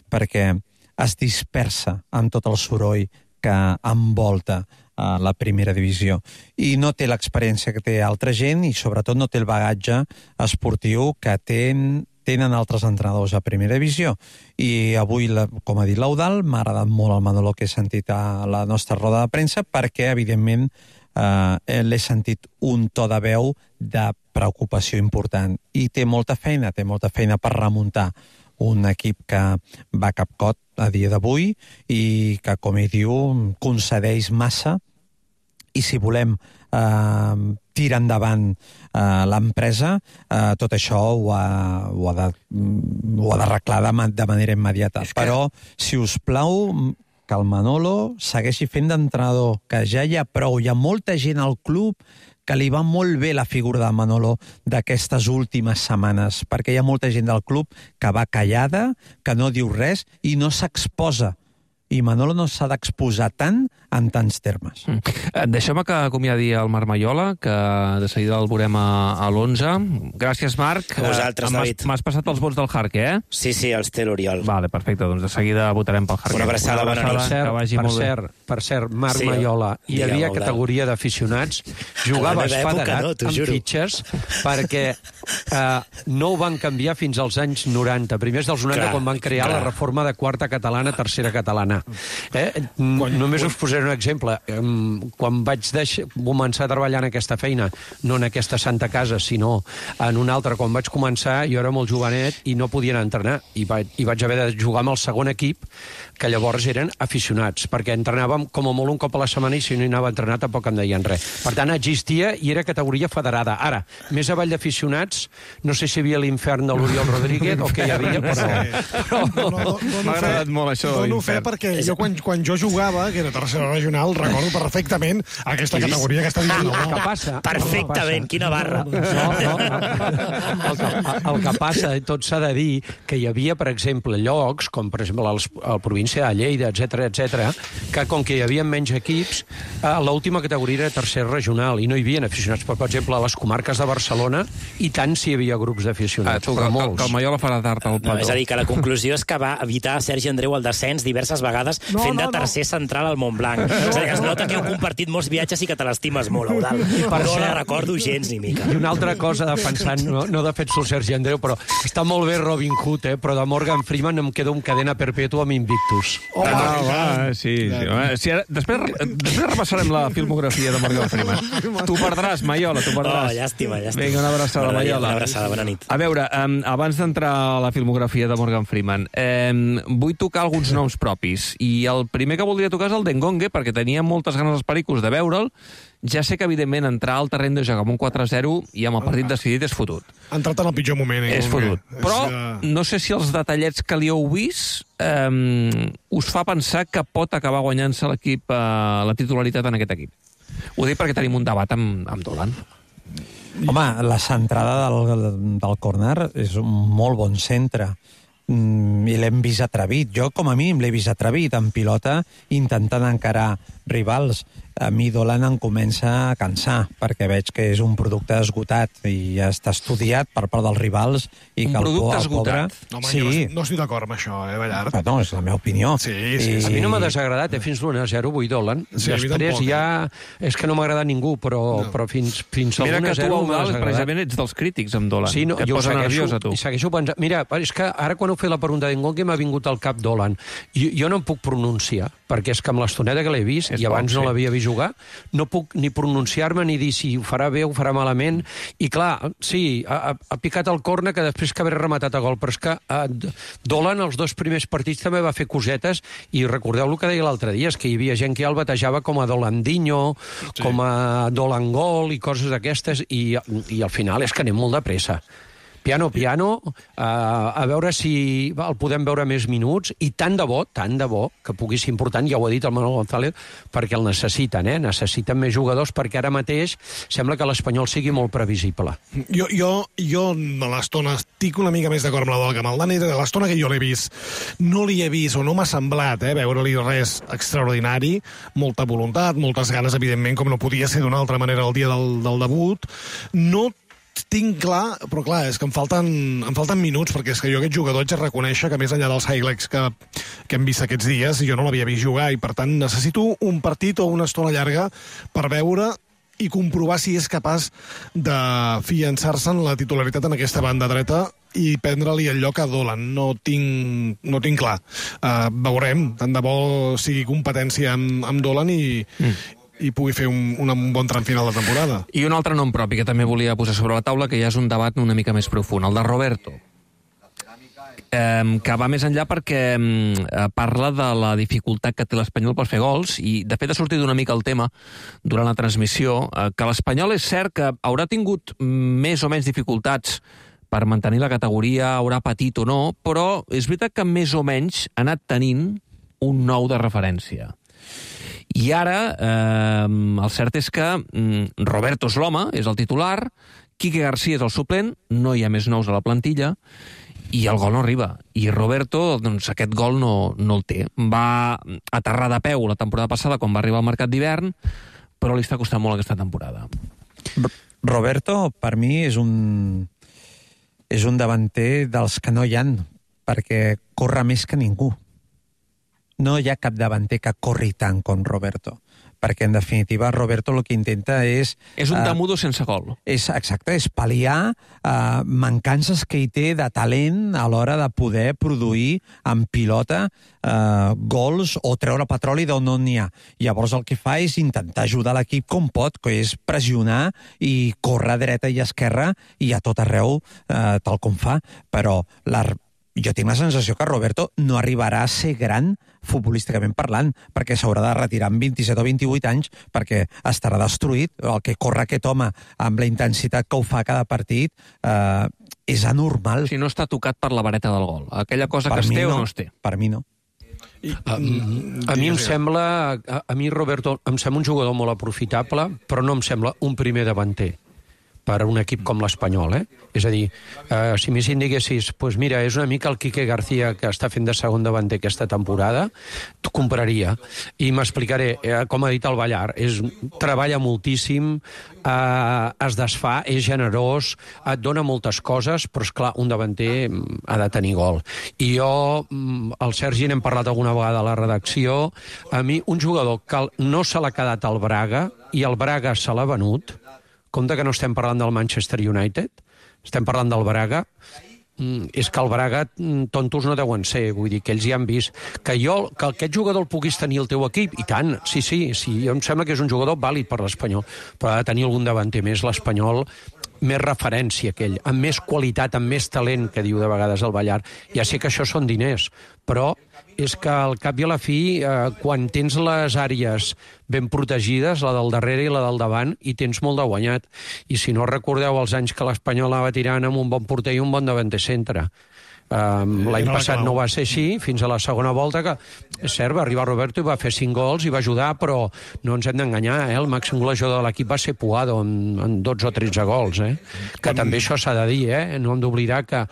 Speaker 6: perquè es dispersa amb tot el soroll que envolta uh, la primera divisió. I no té l'experiència que té altra gent i sobretot no té el bagatge esportiu que ten, tenen altres entrenadors a primera divisió. I avui, la, com ha dit l'Eudal, m'ha agradat molt el Manolo que he sentit a la nostra roda de premsa perquè, evidentment, Uh, l'he sentit un to de veu de preocupació important i té molta feina, té molta feina per remuntar un equip que va capcot a dia d'avui i que, com ell diu, concedeix massa, i si volem uh, tirar endavant uh, l'empresa, uh, tot això ho ha, ho ha de, ho ha d'arreglar de, de manera immediata. Que... Però, si us plau, que el Manolo segueixi fent d'entrenador, que ja hi ha prou. Hi ha molta gent al club que li va molt bé la figura de Manolo d'aquestes últimes setmanes, perquè hi ha molta gent del club que va callada, que no diu res i no s'exposa. I Manolo no s'ha d'exposar tant en tants termes.
Speaker 3: Mm. Deixeu-me que acomiadi el Marc Maiola, que de seguida el veurem a, a l'onze. Gràcies, Marc.
Speaker 7: A vosaltres, David.
Speaker 3: M'has passat els vots del Jarque, eh?
Speaker 7: Sí, sí, els té l'Oriol.
Speaker 3: Vale, perfecte, doncs de seguida votarem pel Jarque.
Speaker 7: Una abraçada, bona nit.
Speaker 4: Per cert, per cert, per cert, Marc sí, Maiola, hi havia categoria d'aficionats, jugaves federat no, amb juro. fitxes, perquè eh, no ho van canviar fins als anys noranta. Primers dels noranta, clar, quan van crear clar. la reforma de quarta catalana, tercera catalana. Eh? Quan, Només quan... us posaré posaré un exemple. Quan vaig deixar, començar a treballar en aquesta feina, no en aquesta santa casa, sinó en una altra, quan vaig començar, jo era molt jovenet i no podia anar a entrenar, i vaig, i vaig haver de jugar amb el segon equip, que llavors eren aficionats, perquè entrenàvem com a molt un cop a la setmana i si no hi anava a entrenar tampoc em deien res. Per tant, existia i era categoria federada. Ara, més avall d'aficionats, no sé si hi havia l'infern de l'Oriol Rodríguez o què hi havia, però... però...
Speaker 1: No, no, no,
Speaker 3: M'ha agradat molt això.
Speaker 1: Dono fe perquè jo quan, quan jo jugava, que era tercera regional, recordo perfectament aquesta categoria que està dient.
Speaker 4: El que passa...
Speaker 7: Perfectament, quina barra.
Speaker 4: No, no, el, que, el que passa, tot s'ha de dir, que hi havia, per exemple, llocs, com per exemple el, el província de Lleida, etcètera, etcètera, que com que hi havia menys equips, a l'última categoria era tercera regional i no hi havia aficionats. Per exemple, a les comarques de Barcelona, i tant si hi havia grups d'aficionats,
Speaker 3: ah,
Speaker 4: però
Speaker 3: que,
Speaker 4: molts.
Speaker 3: Que el Maiola farà tard al
Speaker 7: No, és a dir, que la conclusió és que va evitar a Sergi Andreu el descens diverses vegades
Speaker 1: no,
Speaker 7: fent
Speaker 1: no,
Speaker 7: de tercer no. central al Montblanc. No, és a dir, es nota que heu compartit molts viatges i que te l'estimes molt, Eudal. No la recordo gens ni mica.
Speaker 4: I una altra cosa, defensant, no, no defenso el Sergi Andreu, però està molt bé Robin Hood, eh, però de Morgan Freeman em quedo amb cadena perpètua amb Invictus.
Speaker 3: Oh, ah, va, sí, sí. Va. Sí, ara, després, després repassarem la filmografia de Morgan Freeman. Tu perdràs, Maiola, tu perdràs.
Speaker 7: Oh, llàstima, llàstima.
Speaker 3: Vinga, una abraçada, Maiola.
Speaker 7: Una abraçada, bona nit.
Speaker 3: A veure, um, abans d'entrar a la filmografia de Morgan Freeman, um, vull tocar alguns noms propis. I el primer que voldria tocar és el d'Engongue, perquè tenia moltes ganes els pericos de veure'l. Ja sé que, evidentment, entrar al terreny de joc amb un quatre a zero i amb el partit decidit és fotut.
Speaker 1: Ha entrat en el pitjor moment. Eh,
Speaker 3: és fotut. Però no sé si els detallets que li heu vist um, us fa pensar que pot acabar guanyant-se l'equip uh, la titularitat en aquest equip. Ho dic perquè tenim un debat amb, amb Dolan.
Speaker 6: Home, la centrada del, del córner és un molt bon centre. Mm, i l'hem vist atrevit. Jo, com a mínim, l'he vist atrevit en pilota intentant encarar rivals. A mi Dolan em comença a cansar, perquè veig que és un producte esgotat i ja està estudiat per part dels rivals. I
Speaker 3: un
Speaker 6: que
Speaker 3: producte
Speaker 6: el
Speaker 3: esgotat?
Speaker 6: Pobre...
Speaker 1: No, home,
Speaker 6: sí.
Speaker 1: jo no, no estic d'acord amb això, eh, Ballart?
Speaker 6: No, és la meva opinió.
Speaker 1: Sí, sí,
Speaker 6: I...
Speaker 4: A mi no m'ha desagradat, eh, fins l'u a zero, vull Dolan.
Speaker 1: Sí,
Speaker 4: després
Speaker 1: tampoc,
Speaker 4: ja... És que no m'ha agradat ningú, però, no. però fins, fins al
Speaker 3: Mira
Speaker 4: u a zero
Speaker 3: que tu, precisament, ets dels crítics amb Dolan.
Speaker 4: Sí, no,
Speaker 3: que et
Speaker 4: jo
Speaker 3: posa
Speaker 4: segueixo,
Speaker 3: nerviós a tu.
Speaker 4: segueixo pensant... Mira, és que ara quan heu fet la pregunta d'Engongue m'ha vingut al cap Dolan. Jo, jo no em puc pronunciar, perquè és que amb l'estoneta que l'he vist, és i abans poc, no sí. l'havia vist jugar, no puc ni pronunciar-me ni dir si ho farà bé o ho farà malament. I clar, sí, ha, ha picat el córner que després que haver rematat a gol, però és que uh, Dolan els dos primers partits també va fer cosetes i recordeu el que deia l'altre dia, és que hi havia gent que ja el batejava com a Dolandinho, sí. com a Dolangol i coses d'aquestes i, i al final és que anem molt de pressa. Piano, piano, uh, a veure si el podem veure més minuts, i tant de bo, tant de bo, que pugui ser important, ja ho ha dit el Manuel González, perquè el necessiten, eh? Necessiten més jugadors, perquè ara mateix sembla que l'Espanyol sigui molt previsible.
Speaker 1: Jo, jo, jo a l'estona estic una mica més d'acord amb la Dol que amb el Dani, de l'estona que jo l'he vist, no li he vist, o no m'ha semblat, eh, veure-li res extraordinari, molta voluntat, moltes ganes, evidentment, com no podia ser d'una altra manera el dia del, del debut. No tinc clar, però clar, és que em falten, em falten minuts, perquè és que jo aquest jugador haig de reconèixer que més enllà dels highlights que, que hem vist aquests dies, jo no l'havia vist jugar, i per tant necessito un partit o una estona llarga per veure i comprovar si és capaç de fiançar-se en la titularitat en aquesta banda dreta i prendre-li el lloc a Dolan. No tinc, no tinc clar. Uh, veurem, tant de bo sigui competència amb, amb Dolan i... Mm. i pugui fer un, un bon tram final de temporada.
Speaker 3: I un altre nom propi que també volia posar sobre la taula, que ja és un debat una mica més profund, el de Roberto, eh, que va més enllà perquè eh, parla de la dificultat que té l'Espanyol per fer gols, i de fet ha sortit una mica el tema durant la transmissió, eh, que l'Espanyol és cert que haurà tingut més o menys dificultats per mantenir la categoria, haurà patit o no, però és veritat que més o menys ha anat tenint un nou de referència. I ara, eh, el cert és que mm, Roberto és l'home, és el titular, Quique García és el suplent, no hi ha més nous a la plantilla, i el gol no arriba. I Roberto, doncs, aquest gol no, no el té. Va aterrar de peu la temporada passada quan va arribar al mercat d'hivern, però li està costant molt aquesta temporada.
Speaker 6: Roberto, per mi, és un, és un davanter dels que no hi han, perquè corre més que ningú. No hi ha cap davanter que corri tant com Roberto. perquè en definitiva Roberto el que intenta és...
Speaker 3: És un
Speaker 6: eh,
Speaker 3: Tamudo sense gol.
Speaker 6: És, exacte, és pal·liar eh, mancances que hi té de talent a l'hora de poder produir en pilota eh, gols o treure petroli d'on no n'hi ha. Llavors el que fa és intentar ajudar l'equip com pot, que és pressionar i córrer a dreta i esquerra i a tot arreu eh, tal com fa, però la, jo tinc la sensació que Roberto no arribarà a ser gran futbolísticament parlant, perquè s'haurà de retirar amb vint-i-set o vint-i-vuit anys perquè estarà destruït. El que corre aquest home amb la intensitat que ho fa cada partit eh, és anormal.
Speaker 3: Si no està tocat per la vareta del gol. Aquella cosa
Speaker 6: per
Speaker 3: que es té
Speaker 6: no,
Speaker 3: o no es té.
Speaker 6: Per mi no.
Speaker 4: I, a, a mi em sembla, a, a mi Roberto em sembla un jugador molt aprofitable, però no em sembla un primer davanter per a un equip com l'Espanyol, eh? És a dir, eh, si més diguessis, pues mira, és una mica el Quique García que està fent de segon davanter aquesta temporada, t'ho compraria. I m'explicaré, eh, com ha dit el Ballar, és, treballa moltíssim, eh, es desfà, és generós, et dona moltes coses, però és clar, un davanter ha de tenir gol. I jo, el Sergi n'hem parlat alguna vegada a la redacció, a mi un jugador que no se l'ha quedat al Braga i el Braga se l'ha venut, compte que no estem parlant del Manchester United, estem parlant del Braga, mm, és que el Braga tontos no deuen ser, vull dir que ells ja han vist que jo, que aquest jugador el puguis tenir al teu equip, i tant, sí, sí, sí, em sembla que és un jugador vàlid per l'Espanyol, però ha de tenir algun davanter més, l'Espanyol, més referència que ell, amb més qualitat, amb més talent, que diu de vegades el Ballar. Ja sé que això són diners, però és que al cap i a la fi, eh, quan tens les àrees ben protegides, la del darrere i la del davant, i tens molt de guanyat. I si no recordeu els anys que l'Espanyol va tirant amb un bon porter i un bon davanter centre. Um, L'any passat no va ser així, fins a la segona volta, que és cert, va arribar Roberto i va fer cinc gols i va ajudar, però no ens hem d'enganyar, eh? El màxim golejador de l'equip va ser Puado, en, en dotze o tretze gols, eh? Que també això s'ha de dir, eh? No hem d'oblidar que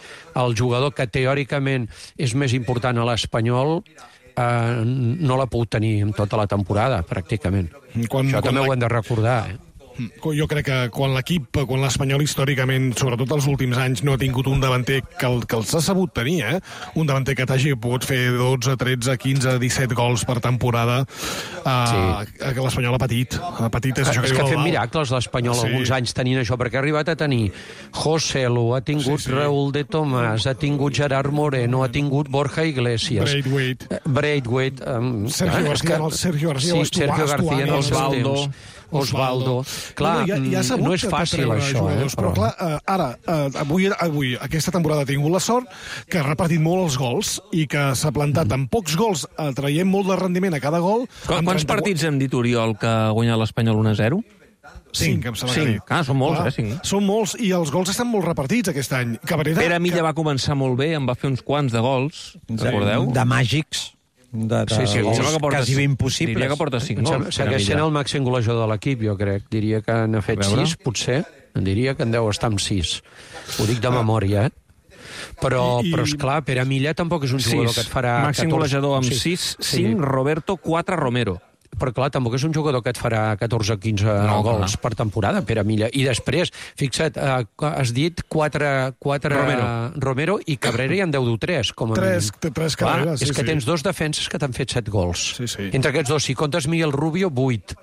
Speaker 4: el jugador que teòricament és més important a l'Espanyol eh, no l'ha pogut tenir en tota la temporada, pràcticament.
Speaker 1: Quan,
Speaker 4: això
Speaker 1: quan
Speaker 4: també
Speaker 1: la...
Speaker 4: ho hem de recordar, eh?
Speaker 1: Jo crec que quan l'equip, quan l'Espanyol històricament, sobretot els últims anys, no ha tingut un davanter que, el, que els ha sabut tenir, eh? Un davanter que t'hagi pogut fer dotze, tretze, quinze, disset gols per temporada, uh, sí. Que l'Espanyol ha patit. Ha patit és,
Speaker 4: és
Speaker 1: això que,
Speaker 4: que
Speaker 1: diu
Speaker 4: ha fet
Speaker 1: Val.
Speaker 4: miracles l'Espanyol sí. alguns anys tenint això, perquè ha arribat a tenir José Lu, ha tingut sí, sí. Raúl de Tomàs, ha tingut Gerard Moreno, ha tingut Borja Iglesias,
Speaker 1: Braithwaite,
Speaker 4: Braithwaite um,
Speaker 1: Sergio García, que... Sergio García,
Speaker 4: sí, Sergio García en els Osvaldo. Osvaldo. Clar, no, ja, ja no és fàcil això, eh?
Speaker 1: Però, però clar, uh, ara, uh, avui, avui, aquesta temporada ha tingut la sort que ha repartit molt els gols i que s'ha plantat amb pocs gols, uh, traient molt de rendiment a cada gol.
Speaker 3: Qu Quants trenta... partits hem dit, Oriol, que ha guanyat l'Espanyol un a zero?
Speaker 1: Cinc, em sembla
Speaker 3: cinc.
Speaker 1: que dit.
Speaker 3: Ah, són molts,
Speaker 1: clar,
Speaker 3: eh? Cinc.
Speaker 1: Són molts, i els gols estan molt repartits aquest any. Cabrera,
Speaker 3: Pere Milla
Speaker 1: que...
Speaker 3: va començar molt bé, en va fer uns quants de gols, recordeu?
Speaker 6: De màgics. De, de
Speaker 4: sí, sí,
Speaker 6: gols
Speaker 3: que porta,
Speaker 6: quasi impossibles.
Speaker 3: Diria que porta cinc gols.
Speaker 4: Segueix sent el màxim golejador de l'equip, jo crec. Diria que n'ha fet sis, potser. Diria que en deu estar amb sis. Ho dic de memòria, eh? Però, I, i... però esclar, Pere Milla tampoc és un jugador
Speaker 3: sis.
Speaker 4: Que et farà...
Speaker 3: Màxim golejador amb sis, cinc, Roberto, quatre, Romero.
Speaker 4: Però clar, tampoc és un jugador que et farà catorze o quinze no, gols no. per temporada, Pere Milla. I després, fixa't, eh, has dit quatre, quatre
Speaker 3: Romero.
Speaker 4: Romero i Cabrera i en deu du tres, com a
Speaker 1: tres,
Speaker 4: mínim.
Speaker 1: Tres Cabrera,
Speaker 4: clar,
Speaker 1: sí,
Speaker 4: és que
Speaker 1: sí.
Speaker 4: tens dos defenses que t'han fet set gols.
Speaker 1: Sí, sí.
Speaker 4: Entre aquests dos, si comptes Miguel Rubio, vuit.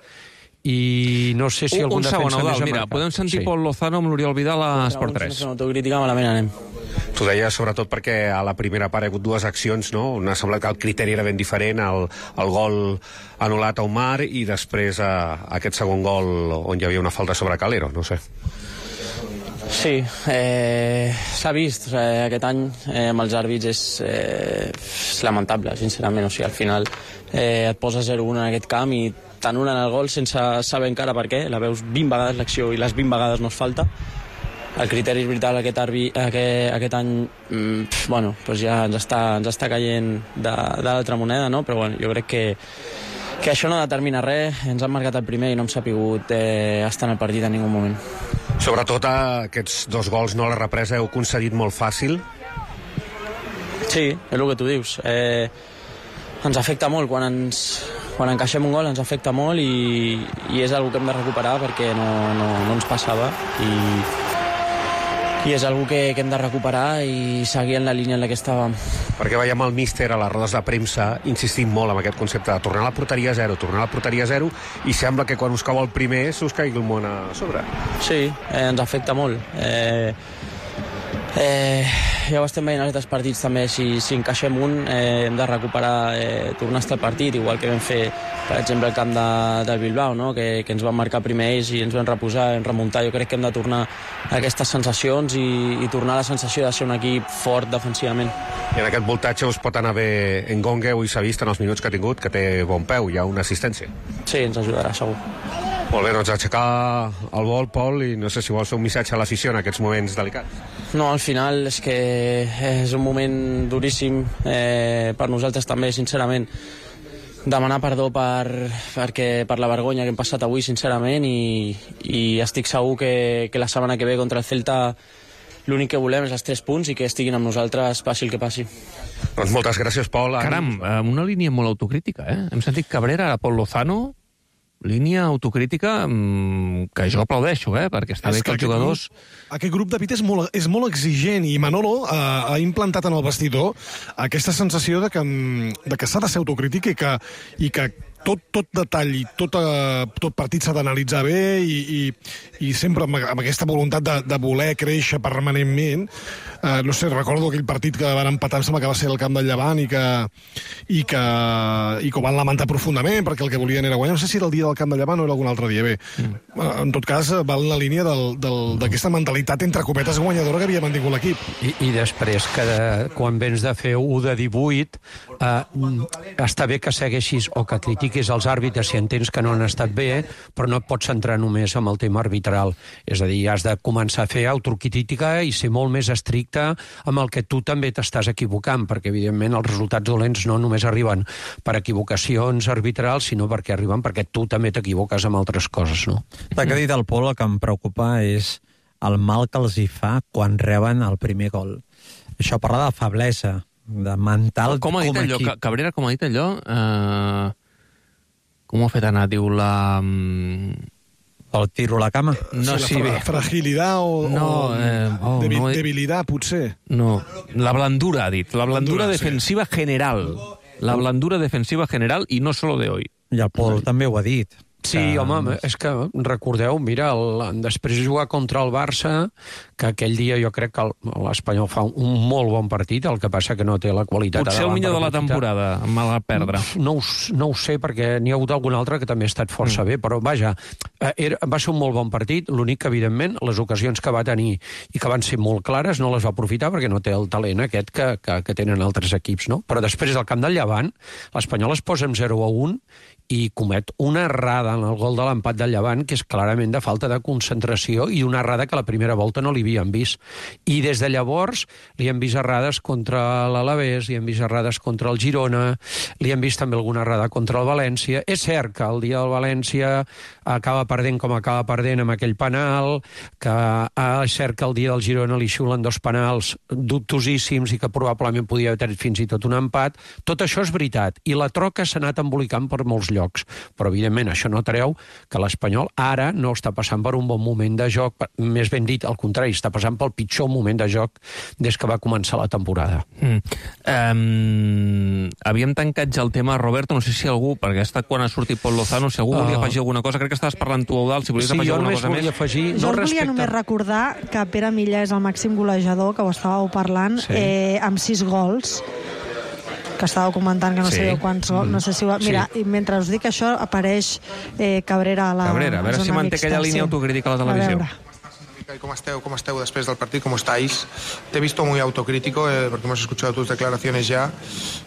Speaker 4: I no sé si
Speaker 3: un,
Speaker 4: algun
Speaker 3: un segon,
Speaker 4: defensa
Speaker 3: Eudal,
Speaker 4: més
Speaker 3: mira, podem sentir sí. Pol Lozano amb l'Oriol Vidal a Esport tres.
Speaker 13: Una autocrítica malament anem.
Speaker 14: T'ho deia sobretot perquè a la primera part hi ha hagut dues accions, no? Una ha semblat que el criteri era ben diferent, el, el gol anul·lat a Omar i després a, a aquest segon gol on hi havia una falta sobre Calero, no sé.
Speaker 13: Sí, eh, s'ha vist eh, aquest any eh, amb els àrbits és, eh, és lamentable, sincerament. O sigui, al final eh, et posa zero un en aquest camp i t'anulen el gol sense saber encara per què. La veus vint vegades l'acció i les vint vegades no es falta. El criteri és veritat, aquest, arbi, aquest, aquest any mm, bueno, doncs ja ens està, ens està caient de, de l'altra moneda, no? Però bueno, jo crec que, que això no determina res. Ens han marcat el primer i no hem sapigut eh, estar en el partit en ningú moment.
Speaker 14: Sobretot aquests dos gols, no, la represa heu concedit molt fàcil.
Speaker 13: Sí, és el que tu dius. Eh, ens afecta molt quan ens, quan encaixem un gol, ens afecta molt i, i és una que hem de recuperar perquè no, no, no ens passava i, i és algo que, que hem de recuperar i seguir en la línia en la que estàvem.
Speaker 14: Perquè veiem el míster a les rodes de premsa insistint molt en aquest concepte de tornar a la porteria zero, tornar a la porteria zero, i sembla que quan us cau el primer se us caigui el món a sobre.
Speaker 13: Sí, eh, ens afecta molt. Eh, eh, ja ho estem veient en aquests partits també, si, si encaixem un eh, hem de recuperar, eh, tornar a estar al partit, igual que vam fer per exemple el camp de, del Bilbao, no? que, que ens van marcar primer ells i ens vam reposar, vam remuntar. Jo crec que hem de tornar a aquestes sensacions i, i tornar a la sensació de ser un equip fort defensivament.
Speaker 14: I en aquest voltatge us pot anar bé Ngonge, avui s'ha vist en els minuts que ha tingut que té bon peu, hi ha una assistència.
Speaker 13: Sí, ens ajudarà, segur.
Speaker 14: Molt bé, doncs aixecar el vol, Pol, i no sé si vols fer un missatge a l'afició en aquests moments delicats.
Speaker 13: No, al final és que és un moment duríssim eh, per nosaltres també, sincerament. Demanar perdó per, perquè, per la vergonya que hem passat avui, sincerament, i, i estic segur que, que la setmana que ve contra el Celta l'únic que volem és els tres punts i que estiguin amb nosaltres, passi el que passi.
Speaker 14: Doncs moltes gràcies, Pol.
Speaker 3: Caram, una línia molt autocrítica, eh? Hem sentit Cabrera, ara Pol Lozano, línia autocrítica que jo aplaudeixo, eh? Perquè està bé que els jugadors...
Speaker 1: Grup, aquest grup de Pit és molt, és molt exigent i Manolo eh, ha implantat en el vestidor aquesta sensació de que, de que s'ha de ser autocrític i que, i que tot, tot detall i tot, uh, tot partit s'ha d'analitzar bé i, i, i sempre amb, amb aquesta voluntat de, de voler créixer permanentment. Uh, no sé, recordo aquell partit que van empatar, em sembla que va ser el camp del Llevant i que, i que, i que ho van lamentar profundament perquè el que volien era guanyar. No sé si era el dia del camp del Llevant o era algun altre dia. Bé, mm. uh, en tot cas, va en la línia d'aquesta mentalitat entre copetes guanyadora que havia mantingut l'equip.
Speaker 4: I, I després, que de, quan vens de fer u de divuit, eh, està bé que segueixis o que critiquis els àrbitres si entens que no han estat bé, però no et pots centrar només en el tema arbitral. És a dir, has de començar a fer autocrítica i ser molt més estricte amb el que tu també t'estàs equivocant, perquè evidentment els resultats dolents no només arriben per equivocacions arbitrals, sinó perquè arriben perquè tu també t'equivoques amb altres coses, no?
Speaker 6: El que ha dit el Pol, el que em preocupa és el mal que els hi fa quan reben el primer gol. Això parla de feblesa, de mental
Speaker 3: com, com ha dit
Speaker 6: com
Speaker 3: allò,
Speaker 6: equip.
Speaker 3: Cabrera, com ha dit allò? Eh... Com ho ha fet anar? Diu la...
Speaker 6: El tiro a la cama?
Speaker 1: No, sí, la fra fragilitat o,
Speaker 3: no, eh, oh,
Speaker 1: debil
Speaker 3: no,
Speaker 1: debilitat, potser.
Speaker 3: No, la blandura, ha dit. La blandura,
Speaker 1: blandura
Speaker 3: defensiva sí. general. La blandura defensiva general i no solo de hoy.
Speaker 6: I el Pol també ho ha dit.
Speaker 4: Sí, que... home, és que recordeu, mira, el, després de jugar contra el Barça, que aquell dia jo crec que l'Espanyol fa un molt bon partit, el que passa que no té la qualitat...
Speaker 3: Potser el millor de la temporada, malgrat perdre.
Speaker 4: No, no, no ho sé, perquè n'hi ha hagut algun altre que també ha estat força mm. bé, però vaja, era, va ser un molt bon partit, l'únic que, evidentment, les ocasions que va tenir i que van ser molt clares no les va aprofitar perquè no té el talent aquest que, que, que tenen altres equips, no? Però després del camp del Llevant, l'Espanyol es posa amb zero a un i comet una errada en el gol de l'empat del Llevant, que és clarament de falta de concentració i una errada que la primera volta no li havien vist. I des de llavors li hem vist errades contra l'Alavés, li hem vist errades contra el Girona, li hem vist també alguna errada contra el València. És cert que el dia del València acaba perdent com acaba perdent amb aquell penal, que ah, és cert que el dia del Girona li xiulen dos penals dubtosíssims i que probablement podia haver tret fins i tot un empat. Tot això és veritat. I la troca s'ha anat embolicant per molts llocs. Però, evidentment, això no treu que l'Espanyol ara no està passant per un bon moment de joc, més ben dit, al contrari, està passant pel pitjor moment de joc des que va començar la temporada.
Speaker 3: Mm. Um, havíem tancat ja el tema, Roberto, no sé si algú, perquè ha estat quan ha sortit Pol Lozano, si algú uh... volia afegir alguna cosa, crec que estaves parlant tu, Eudald, si volies
Speaker 4: sí,
Speaker 3: afegir alguna cosa més.
Speaker 4: Afegir,
Speaker 10: jo
Speaker 4: no
Speaker 10: volia
Speaker 4: respecte...
Speaker 10: només recordar que Pere Milla és el màxim golejador, que ho estàveu parlant, sí. eh, amb sis gols, que estàveu comentant que no sí. sabeu quants gols, no sé si ho... Mira, sí. i mentre us dic això apareix eh, Cabrera a la
Speaker 3: Cabrera, a veure si manté aquella línia
Speaker 10: sí.
Speaker 3: autocrítica a la televisió.
Speaker 9: ¿Cómo esteu, ¿Cómo esteu después del partido? ¿Cómo estáis? Te he visto muy autocrítico eh, porque hemos escuchado tus declaraciones ya,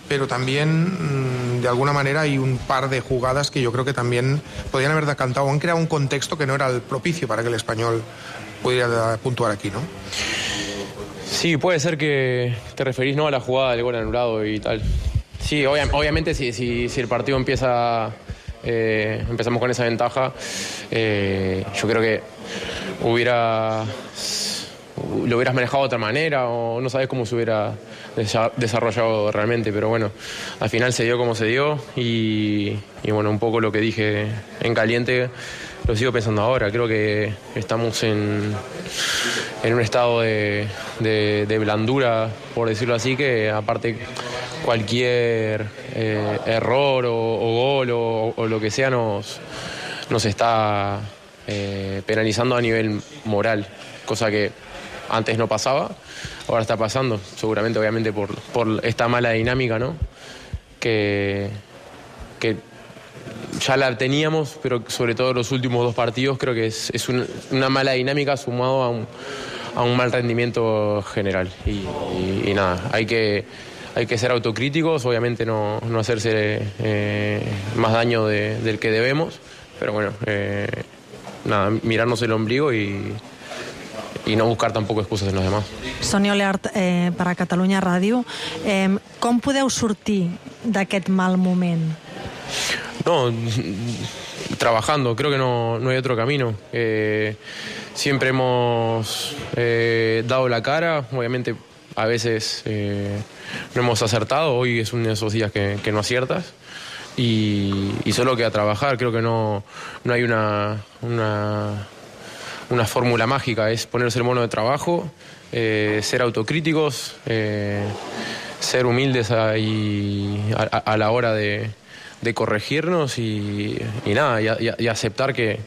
Speaker 9: pero también mmm, de alguna manera hay un par de jugadas que yo creo que también podrían haber decantado, han creado un contexto que no era el propicio para que el Español pudiera puntuar aquí, ¿no?
Speaker 15: Sí, puede ser que te referís, ¿no?, a la jugada del gol anulado y tal. Sí, obvia, obviamente si, si, si el partido empieza, eh, empezamos con esa ventaja, eh, yo creo que hubiera, lo hubieras manejado de otra manera o no sabes cómo se hubiera desarrollado realmente, pero bueno, al final se dio como se dio y, y bueno, un poco lo que dije en caliente lo sigo pensando ahora. Creo que estamos en, en un estado de, de, de blandura, por decirlo así, que aparte cualquier eh, error o, o gol o, o lo que sea nos, nos está eh, penalizando a nivel moral, cosa que antes no pasaba, ahora está pasando, seguramente obviamente por, por esta mala dinámica, ¿no? Que, que ya la teníamos, pero sobre todo los últimos dos partidos creo que es, es una, una mala dinámica sumado a un, a un mal rendimiento general. Y, y, y nada, hay que, hay que ser autocríticos, obviamente no, no hacerse eh, más daño de, del que debemos, pero bueno, eh, nada, mirarnos el ombligo y, i no buscar tampoc excuses en los demás.
Speaker 10: Sonia Oleart, eh, per a Catalunya Ràdio, eh, com podeu sortir d'aquest mal moment?
Speaker 15: No, trabajando, creo que no, no hay otro camino. Eh, siempre hemos eh, dado la cara, obviamente a veces eh, no hemos acertado, hoy es uno de esos días que, que no aciertas y, y solo queda trabajar, creo que no, no hay una, una, una fórmula mágica, es ponerse el mono de trabajo, eh, ser autocríticos, eh, ser humildes a, y a, a la hora de de corregirnos y, y nada, y, y, y aceptar que,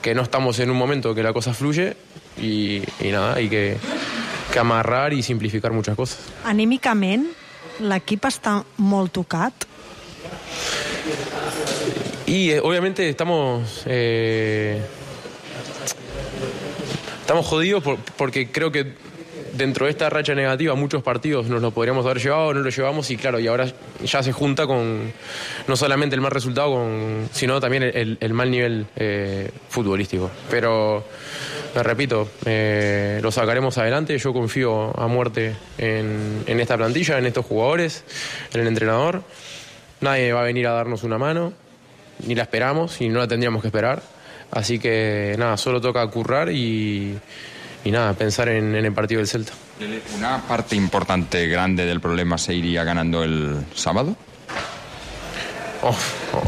Speaker 15: que no estamos en un momento que la cosa fluye y, y nada, hay que, que amarrar i simplificar muchas cosas.
Speaker 10: Anímicament, l'equip està molt tocat?
Speaker 15: Y eh, obviamente estamos eh, estamos jodidos por, porque creo que dentro de esta racha negativa muchos partidos nos lo podríamos haber llevado, no lo llevamos y claro, y ahora ya se junta con no solamente el mal resultado, con, sino también el, el mal nivel eh, futbolístico. Pero, me repito, eh, lo sacaremos adelante, yo confío a muerte en, en esta plantilla, en estos jugadores, en el entrenador. Nadie va a venir a darnos una mano, ni la esperamos y no la tendríamos que esperar. Así que nada, solo toca currar y... y nada, pensar en, en el partido del Celta.
Speaker 11: ¿Una parte importante, grande del problema se iría ganando el sábado?
Speaker 15: Oh,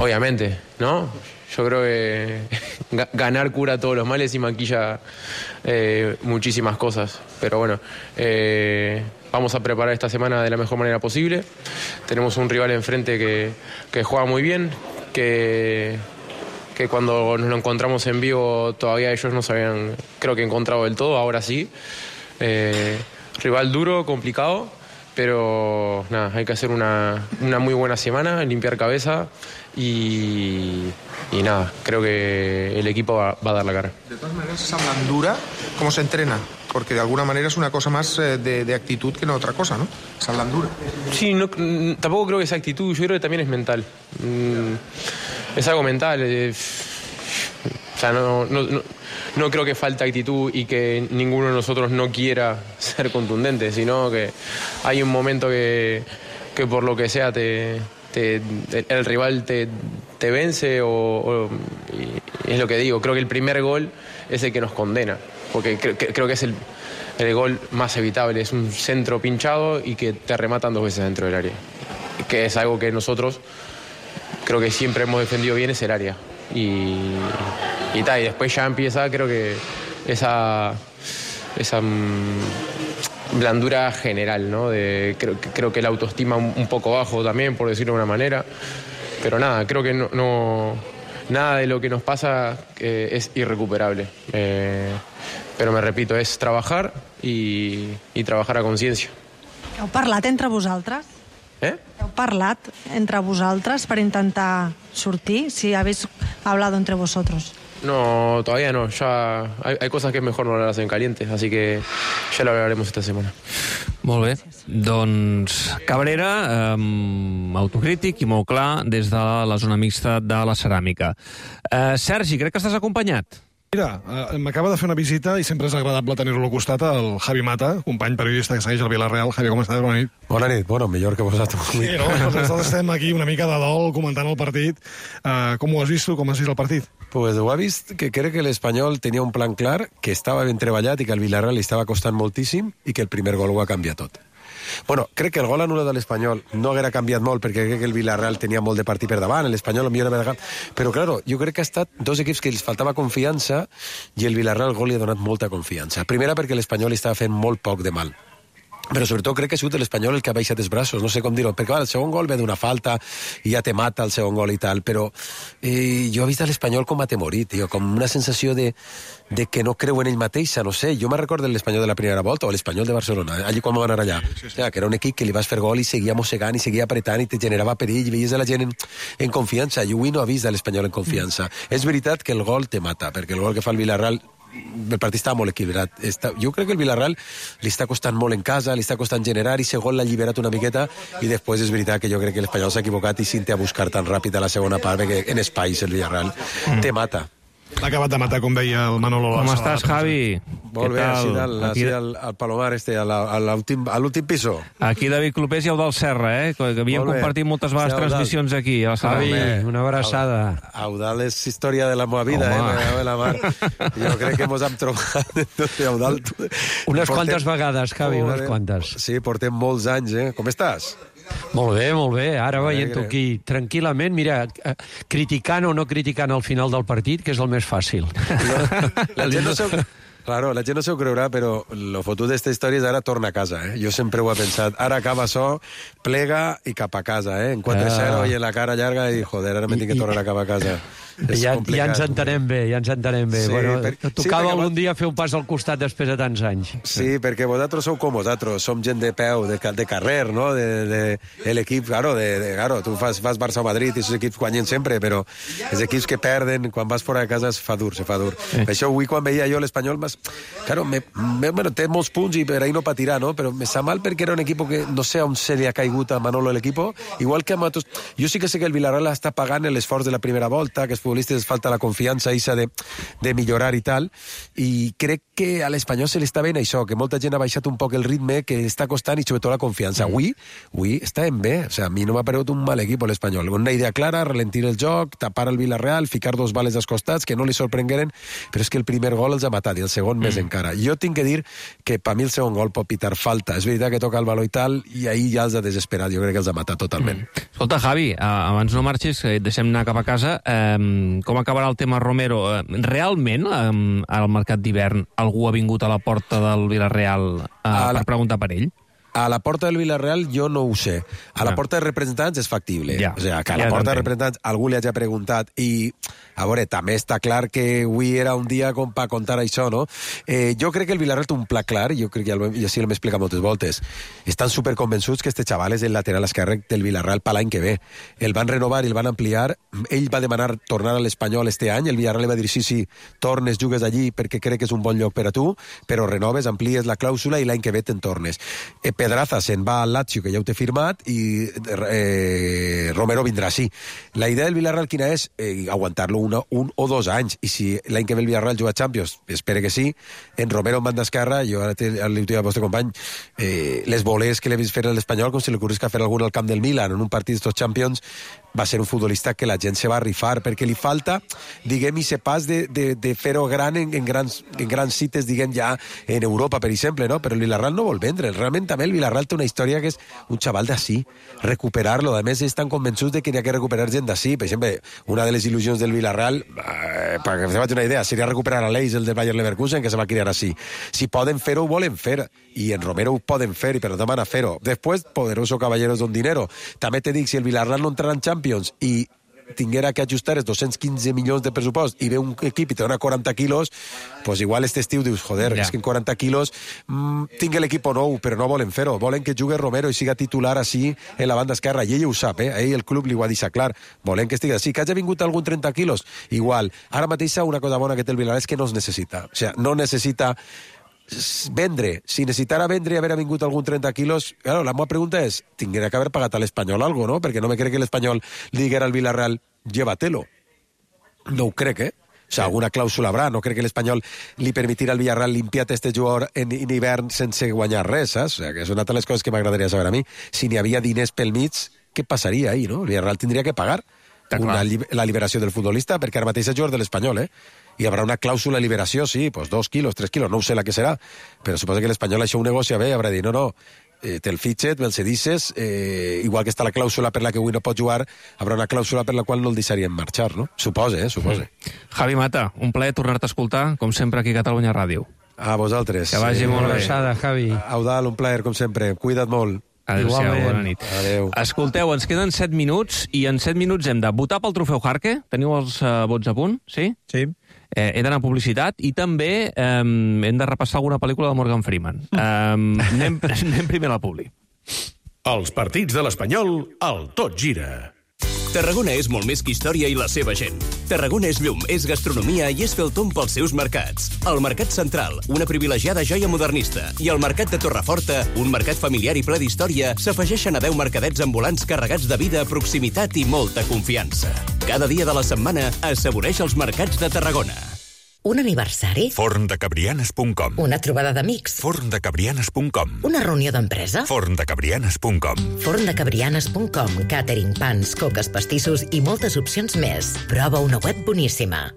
Speaker 15: obviamente, ¿no? Yo creo que ganar cura todos los males y maquilla eh, muchísimas cosas. Pero bueno, eh, vamos a preparar esta semana de la mejor manera posible. Tenemos un rival enfrente que, que juega muy bien, que... que cuando nos lo encontramos en vivo todavía ellos no se habían, creo que encontrado del todo, ahora sí. Eh, rival duro, complicado, pero nada, hay que hacer una, una muy buena semana, limpiar cabeza y, y nada, creo que el equipo va, va a dar la cara.
Speaker 9: De todas maneras, esa blandura, ¿cómo se entrena? Porque de alguna manera es una cosa más eh, de, de actitud que no otra cosa, ¿no? Esa blandura.
Speaker 15: Sí, no, tampoco creo que sea actitud, yo creo que también es mental. Mm, es algo mental. Eh, o sea, no, no, no, no creo que falte actitud y que ninguno de nosotros no quiera ser contundente, sino que hay un momento que, que por lo que sea te, te, el rival te, te vence o, o y es lo que digo, creo que el primer gol es el que nos condena, porque creo, creo que es el, el gol más evitable, es un centro pinchado y que te rematan dos veces dentro del área, que es algo que nosotros creo que siempre hemos defendido bien, es el área. Y, y, ta, y después ya empieza, creo que esa, esa mmm, blandura general, ¿no? De, creo, creo que la autoestima un, un poco bajo también, por decirlo de una manera. Pero nada, creo que no, no nada de lo que nos pasa eh, es irrecuperable. Eh, pero me repito, es trabajar y, y trabajar a conciencia.
Speaker 10: Heu parlat entre vosaltres?
Speaker 15: Eh?
Speaker 10: Heu parlat entre vosaltres per intentar sortir? Si habéis hablado entre vosotros.
Speaker 15: No, todavía no. Ya hay, hay cosas que es mejor no hablarlas en caliente, así que ya lo hablaremos esta semana.
Speaker 3: Molt bé. Doncs Cabrera, eh, autocrític i molt clar des de la zona mixta de la ceràmica. Eh, Sergi, crec que estàs acompanyat.
Speaker 1: Mira, eh, m'acaba de fer una visita i sempre és agradable tenir-lo al costat, el Javi Mata, company periodista que segueix el Villarreal. Javi, com estàs? Bona nit.
Speaker 16: Bona nit, bueno, millor que vosaltres.
Speaker 1: Sí, no? Nosaltres estem aquí una mica de dol comentant el partit. Uh, com ho has vist tu? Com has vist el partit?
Speaker 16: Pues ho ha vist que crec que l'Espanyol tenia un plan clar, que estava ben treballat i que el Villarreal li estava costant moltíssim i que el primer gol ho ha canviat tot. Bueno, crec que el gol anul·lat de l'Espanyol no haguera canviat molt perquè crec que el Villarreal tenia molt de partit per davant, l'Espanyol el millor era... Però, claro, jo crec que ha estat dos equips que els faltava confiança i el Villarreal el gol li ha donat molta confiança. Primera perquè l'Espanyol estava fent molt poc de mal. Però sobretot crec que ha sigut l'Espanyol el que ha baixat els braços, no sé com dir-ho, perquè el segon gol ve d'una falta i ja te mata el segon gol i tal, però eh, jo he vist l'Espanyol com atemorit, tio, com una sensació de, de que no creu en ell mateixa, no sé, jo me recordo l'Espanyol de la primera volta o l'Espanyol de Barcelona, allí quan vam anar allà, sí, sí, sí. O sea, que era un equip que li vas fer gol i seguia mossegant i seguia apretant i te generava perill i veies a la gent en, en confiança, i avui no ha vist l'Espanyol en confiança. Mm. És veritat que el gol te mata, perquè el gol que fa el Villarreal el partit estava molt equilibrat. Està, jo crec que el Villarreal li està costant molt en casa, li està costant generar i segon l'ha alliberat una miqueta i després és veritat que jo crec que l'Espanyol s'ha equivocat i s'inté a buscar tan ràpid a la segona part perquè en espais el Villarreal mm. te mata.
Speaker 1: L'ha acabat de matar, com deia el Manolo.
Speaker 3: Com estàs, Javi?
Speaker 16: Molt bé, així dalt, aquí al, al Palomar, este, a l'últim piso.
Speaker 3: Aquí David Clopés i Eudald Serra, eh? Que havíem compartit moltes vegades sí, transmissions aquí. A
Speaker 4: Javi, una abraçada.
Speaker 16: Eudald és història de la meva vida, Home. eh? La mar. Jo crec que mos hem trobat tot Eudald.
Speaker 4: Unes portem... quantes vegades, Javi, unes quantes.
Speaker 16: Sí, portem molts anys, eh? Com estàs?
Speaker 4: Molt bé, molt bé. Ara veient-ho aquí tranquil·lament, mira, criticant o no criticant al final del partit, que és el més fàcil.
Speaker 16: La, la gent no seu... Claro, la gent no s'ho creurà, però el fotut d'esta història és ara torna a casa, eh? Jo sempre ho he pensat. Ara acaba això, plega i cap a casa, eh? En quatre zero ah. i en la cara llarga i, joder, ara m'he tinc que tornar a cap a casa.
Speaker 4: Ja, ja ens entenem bé, ja ens entenem bé. Sí, bueno, per... Tocava sí, algun dia fer un pas al costat després de tants anys.
Speaker 16: Sí, perquè vosaltres sou com vosaltres, som gent de peu, de, de carrer, no? De, de, de l'equip, claro, de, de, claro, tu fas, fas Barça o Madrid i aquests equips guanyen sempre, però els equips que perden, quan vas fora de casa es fa dur, se fa dur. Sí. Per això avui quan veia jo l'Espanyol, mas, claro, me, me, bueno, té molts punts i per ahí no patirà, no? Però me sa mal perquè era un equip que no sé on se li ha caigut a Manolo l'equip, igual que a Matos. Jo sí que sé que el Villarreal està pagant l'esforç de la primera volta, que els futbolistes falta la confiança isa de, de millorar i tal, i crec que a l'Espanyol se li està ben això, que molta gent ha baixat un poc el ritme, que està costant i sobretot la confiança. Mm. Avui, avui està en bé, o sea, a mi no m'ha paregut un mal equip l'Espanyol. Una idea clara, ralentir el joc, tapar el Villarreal, ficar dos bales als costats, que no li sorprengueren, però és que el primer gol els ha matat i el segon mm. més encara. Jo tinc que dir que per mi el segon gol pot pitar falta. És veritat que toca el baló i tal, i ahir ja els ha desesperat. Jo crec que els ha matat totalment.
Speaker 3: Mm. Escolta, Javi, abans no marxis, que et deixem anar cap a casa, eh, com acabarà el tema Romero? Realment, eh, al mercat d'hivern, algú ha vingut a la porta del Villarreal eh, la... per preguntar per ell?
Speaker 16: A la porta del Villarreal jo no ho sé. A la porta de representants és factible. Ja. O sigui, que a la
Speaker 3: ja
Speaker 16: porta de representants algú li hagi preguntat i, a veure, també està clar que avui era un dia com per contar això, no? Eh, jo crec que el Villarreal té un pla clar, jo crec que ja, lo, ja sí l'hem explicat moltes voltes. Estan superconvençuts que este xaval és el lateral esquerre del Villarreal per l'any que ve. El van renovar i el van ampliar. Ell va demanar tornar a l'Espanyol este any. El Villarreal li va dir, sí, sí, tornes, jugues allí perquè crec que és un bon lloc per a tu, però renoves, amplies la clàusula i l'any que ve te'n tornes. Eh, Pedraza se'n va al Lazio, que ja ho té firmat, i eh, Romero vindrà sí. La idea del Villarreal quina és? Eh, aguantar-lo una, un o dos anys, i si l'any que ve el Villarreal juga a Champions, espero que sí, en Romero en banda esquerra, jo ara li dic al vostre company, eh, les volers que l'he vist fer a l'Espanyol, com si li ocorrisca fer algun al camp del Milan, en un partit d'estos Champions, va ser un futbolista que la gent se va rifar, perquè li falta, diguem, i se pas de, de, de fer-ho gran en, en, grans, en grans cites, diguem, ja en Europa, per exemple, no? Però el Villarreal no vol vendre. Realment també el Villarreal té una història que és un xaval d'ací, recuperar-lo. A més, estan convençuts de que n'hi ha que recuperar gent d'ací. Per exemple, una de les il·lusions del Villarreal, eh, perquè se faci una idea, seria recuperar a l'Eix, el del Bayer Leverkusen, que se va criar així. Si poden fer-ho, ho volen fer. I en Romero ho poden fer, i per tant van a fer-ho. Després, poderoso caballeros don dinero. També te dic, si el Villarreal no entrarà en Champions i tinguera que ajustar els dos-cents quinze milions de pressupost i ve un equip i te dona quaranta quilos, pues igual este estiu dius, joder, ja. És que en quaranta quilos mmm, tinc l'equip nou, però no volen fer-ho. Volen que jugui Romero i siga titular així en la banda esquerra. I ell ho sap, eh? Ell el club li ho ha deixat clar. Volen que estigui així. Que hagi vingut algun trenta quilos, igual. Ara mateix una cosa bona que té el Villarreal és que no es necessita. O sigui, no necessita vendre. Si necessitara vendre i haver vingut algun trenta quilos, claro, la meva pregunta és, tinguera que haver pagat a l'Espanyol algo, no? Perquè no me crec que l'Espanyol li diguera al Villarreal, llévatelo. No ho crec, eh? O sigui, alguna clàusula haurà. No crec que l'Espanyol li permetirà al Villarreal limpiar este jugador en, en hivern sense guanyar res, saps? O sigui, que és una de les coses que m'agradaria saber a mi. Si n'hi havia diners pel mig, què passaria ahí, no? El Villarreal tindria que pagar una, la liberació del futbolista, perquè ara mateix és jugador de l'Espanyol, eh? Hi haurà una clàusula de liberació, sí, pues dos quilos, tres quilos, no ho sé la que serà, però suposo que l'Espanyol això ho negocia bé, haurà dit, no, no, eh, te'l fitxet, me'l cedisses, eh, igual que està la clàusula per la que avui no pot jugar, haurà una clàusula per la qual no el deixarien marxar, no? Supose, eh, supose.
Speaker 3: Mm. Javi Mata, un plaer tornar-te a escoltar, com sempre, aquí a Catalunya Ràdio.
Speaker 16: A vosaltres.
Speaker 3: Que vagi
Speaker 16: eh,
Speaker 3: molt bé.
Speaker 4: Abraçada, Javi.
Speaker 16: Eudal, un plaer, com sempre. Cuida't molt.
Speaker 3: Adéu-siau, bona nit.
Speaker 16: Adéu.
Speaker 3: Escolteu, ens queden set minuts i en set minuts hem de votar pel trofeu Jarque. Teniu els uh, vots a punt? Sí?
Speaker 6: Sí.
Speaker 3: Eh, he d'anar a publicitat i també eh, hem de repassar alguna pel·lícula de Morgan Freeman. Eh, anem, anem primer a la publi.
Speaker 17: Els partits de l'Espanyol, al Tot Gira.
Speaker 18: Tarragona és molt més que història i la seva gent. Tarragona és llum, és gastronomia i és fer el tomb pels seus mercats. El Mercat Central, una privilegiada joia modernista, i el Mercat de Torreforta, un mercat familiar i ple d'història, s'afegeixen a deu mercadets ambulants carregats de vida, proximitat i molta confiança. Cada dia de la setmana assaboreix els mercats de Tarragona.
Speaker 19: Un aniversari?
Speaker 17: forndecabrianes punt com.
Speaker 19: Una trobada d'amics?
Speaker 17: forndecabrianes punt com.
Speaker 19: Una reunió d'empresa?
Speaker 17: forndecabrianes punt com.
Speaker 19: forndecabrianes punt com. Catering, pans, coques, pastissos i moltes opcions més. Prova una web boníssima.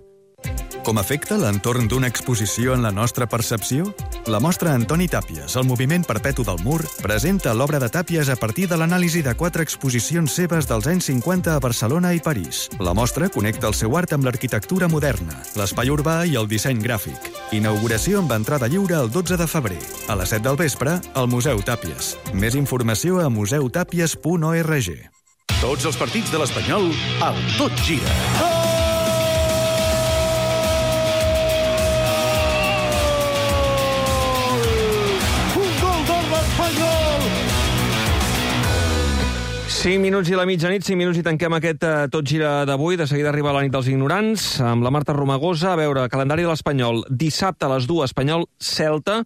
Speaker 20: Com afecta l'entorn d'una exposició en la nostra percepció? La mostra Antoni Tàpies, el moviment perpetu del mur, presenta l'obra de Tàpies a partir de l'anàlisi de quatre exposicions seves dels anys cinquanta a Barcelona i París. La mostra connecta el seu art amb l'arquitectura moderna, l'espai urbà i el disseny gràfic. Inauguració amb entrada lliure el dotze de febrer. A les set del vespre, al Museu Tàpies. Més informació a museu tàpies punt org.
Speaker 17: Tots els partits de l'Espanyol, al Tot Gira.
Speaker 3: cinc minuts i la mitjanit, cinc minuts i tanquem aquest uh, Tot Gira d'avui. De seguida arriba la nit dels ignorants, amb la Marta Romagosa. A veure, calendari de l'Espanyol. Dissabte a les dues, Espanyol-Celta.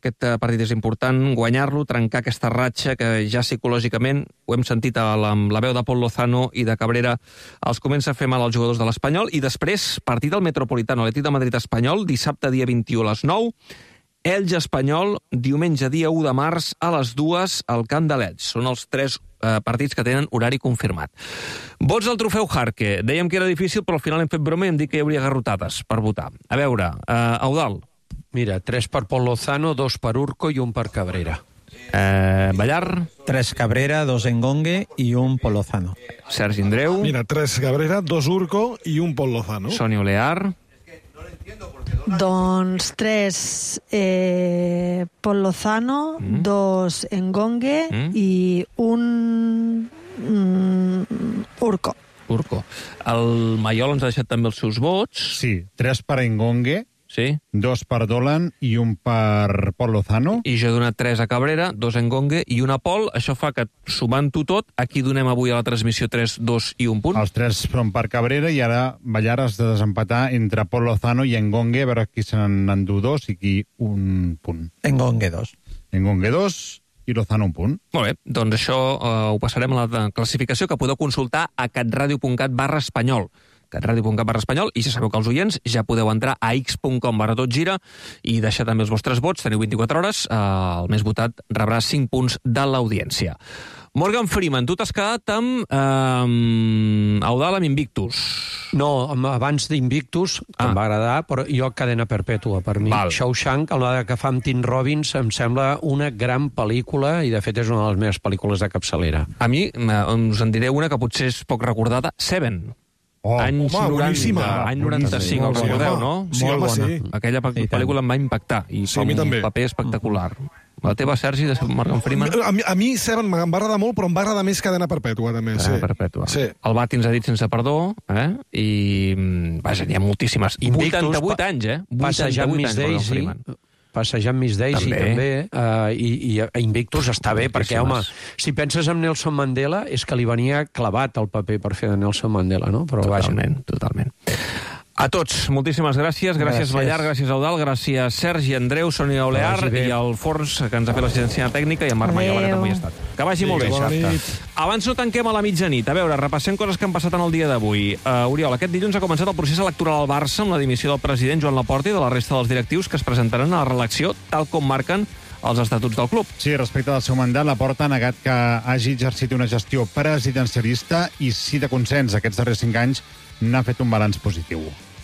Speaker 3: Aquest uh, partit és important, guanyar-lo, trencar aquesta ratxa que ja psicològicament, ho hem sentit a la, amb la veu de Pol Lozano i de Cabrera, els comença a fer mal als jugadors de l'Espanyol. I després, partit del Metropolitano, Atlètic de Madrid-Espanyol, dissabte dia vint-i-u a les nou. Elx-Espanyol, diumenge dia u de març a les dues al Camp de l'Elx. Són els tres eh, partits que tenen horari confirmat. Vots del trofeu Jarque. Dèiem que era difícil, però al final hem fet broma i hem dit que hi hauria garrotades per votar. A veure, eh, Eudal.
Speaker 4: Mira, tres per Pol Lozano, dos per Urco i un per Cabrera.
Speaker 3: Eh, Ballar.
Speaker 6: Tres Cabrera, dos Engongue i un Pol Lozano.
Speaker 3: Sergi Andreu.
Speaker 1: Mira, tres Cabrera, dos Urco i un Pol Lozano.
Speaker 3: Sonia Olear.
Speaker 10: Doncs tres eh, Pol Lozano, mm. dos Engongue mm. i un mm, Urco.
Speaker 3: Urco. El Maiol ens ha deixat també els seus vots.
Speaker 2: Sí, tres per Engongue,
Speaker 3: sí.
Speaker 2: dos per Dolan i un per Pol Lozano.
Speaker 3: I jo he donat tres a Cabrera, dos a Engongue i un a Pol. Això fa que, sumant-ho tot, aquí donem avui a la transmissió tres, dos i un punt.
Speaker 2: Els tres són per Cabrera i ara Ballar has de desempatar entre Pol Lozano i Engongue, a veure qui se n'endú dos i qui un punt.
Speaker 6: Engongue dos.
Speaker 2: Engongue dos i Lozano un punt.
Speaker 3: Molt bé, doncs això eh, ho passarem a la classificació que podeu consultar a catradio.cat barra espanyol. catradio.cat barra espanyol, i ja sabeu que els oients ja podeu entrar a x punt com barra tot gira i deixar també els vostres vots, teniu vint-i-quatre hores, eh, el més votat rebrà cinc punts de l'audiència. Morgan Freeman, tu t'has quedat amb eh, Eudal amb Invictus.
Speaker 4: No, abans d'Invictus, que ah. em va agradar, però jo cadena perpètua per mi. Val. Shawshank, el que fa amb Tim Robbins, em sembla una gran pel·lícula i de fet és una de les meves pel·lícules de capçalera.
Speaker 3: A mi, us en diré una que potser és poc recordada, Seven.
Speaker 1: Oh,
Speaker 3: anys
Speaker 1: home,
Speaker 3: noranta,
Speaker 1: boníssima.
Speaker 3: any noranta-cinc, el recordeu, no?
Speaker 1: Sí, home, sí.
Speaker 3: Aquella pel·lícula em va impactar i
Speaker 1: sí,
Speaker 3: fa un
Speaker 1: també.
Speaker 3: paper espectacular. La teva, Sergi, de Morgan Freeman?
Speaker 1: A mi, a mi Seven em va agradar molt, però em va agradar més Cadena Perpètua, també.
Speaker 3: Cadena
Speaker 1: sí.
Speaker 3: Perpètua.
Speaker 1: Sí.
Speaker 3: El Bati ens ha dit sense perdó, eh? I, vaja, n'hi ha moltíssimes.
Speaker 4: Invictus,
Speaker 3: vuitanta-vuit anys, eh?
Speaker 4: vuitanta-vuit anys, Morgan Freeman. Passejant Miss Daisy, també, també uh, i, i Invictus està bé, perquè, home, si penses en Nelson Mandela, és que li venia clavat el paper per fer de Nelson Mandela, no? Però
Speaker 3: totalment,
Speaker 4: vaja.
Speaker 3: totalment. A tots, moltíssimes gràcies. Gràcies, gràcies. Ballar, gràcies, Eudald, gràcies, Sergi, Andreu, Sonia Olear i el Forns, que ens ha fet l'assistència tècnica, i en Marc Maiola, que també hi ha estat. Que vagi molt bé. Abans no tanquem a la mitjanit. A veure, repassem coses que han passat en el dia d'avui. Uh, Oriol, aquest dilluns ha començat el procés electoral al Barça amb la dimissió del president Joan Laporta i de la resta dels directius que es presentaran a la reelecció, tal com marquen els estatuts del club.
Speaker 2: Sí, respecte al seu mandat, Laporta ha negat que hagi exercit una gestió presidencialista i, si de consens aquests darrers cinc anys, n'ha fet un balanç positiu.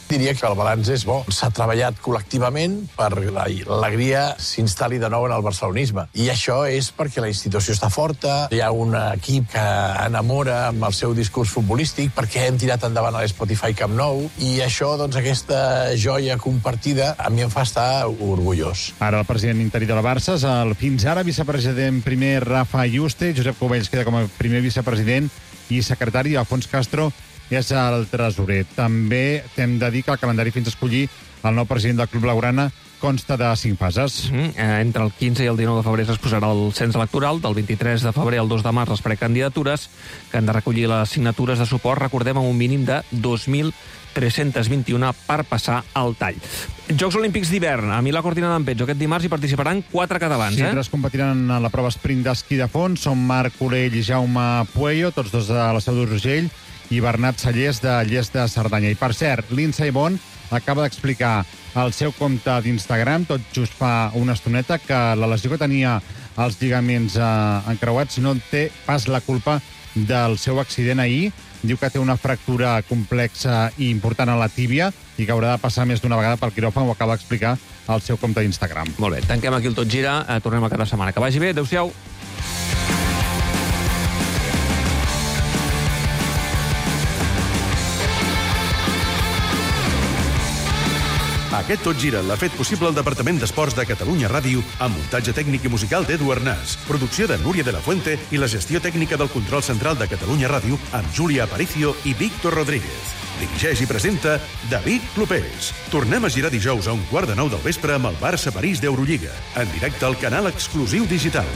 Speaker 21: Diria que el balanç és bo. S'ha treballat col·lectivament per l'alegria s'instal·li de nou en el barcelonisme. I això és perquè la institució està forta, hi ha un equip que enamora amb el seu discurs futbolístic, perquè hem tirat endavant a l'Spotify Camp Nou, i això, doncs, aquesta joia compartida, a mi em fa estar orgullós.
Speaker 2: Ara el president interí de la Barça és el fins ara vicepresident primer Rafa Yuste, Josep Cubells queda com a primer vicepresident i secretari, Alfons Castro és el tresorer. També hem de dir que el calendari fins a escollir el nou president del Club Blaugrana consta de cinc fases.
Speaker 3: Mm, eh, entre el quinze i el dinou de febrer es posarà el cens electoral, del vint-i-tres de febrer al dos de març les precandidatures, que han de recollir les signatures de suport, recordem, amb un mínim de dos mil tres-cents vint-i-un per passar al tall. Jocs Olímpics d'hivern, a Milà Cortina d'Ampezzo. Aquest dimarts hi participaran quatre catalans,
Speaker 2: sí,
Speaker 3: eh?
Speaker 2: Sí, tres competiran a la prova sprint d'esquí de fons. Són Marc Colell i Jaume Pueyo, tots dos de la Seu d'Urgell, i Bernat Sallés de Lles de Cerdanya. I, per cert, Lindsey Vonn acaba d'explicar al seu compte d'Instagram, tot just fa una estoneta, que la lesió que tenia als lligaments eh, encreuats no té pas la culpa del seu accident ahir. Diu que té una fractura complexa i important a la tíbia i que haurà de passar més d'una vegada pel quiròfan. Ho acaba d'explicar al seu compte d'Instagram.
Speaker 3: Molt bé, tanquem aquí el Tot Gira. Eh, tornem a cada setmana. Que vagi bé. Adéu-siau.
Speaker 17: Aquest Tot Gira l'ha fet possible el Departament d'Esports de Catalunya Ràdio amb muntatge tècnic i musical d'Edu Arnàs, producció de Núria de la Fuente i la gestió tècnica del control central de Catalunya Ràdio amb Júlia Aparicio i Víctor Rodríguez. Dirigeix i presenta David Clopés. Tornem a girar dijous a un quart de nou del vespre amb el Barça París d'Eurolliga, en directe al canal exclusiu digital.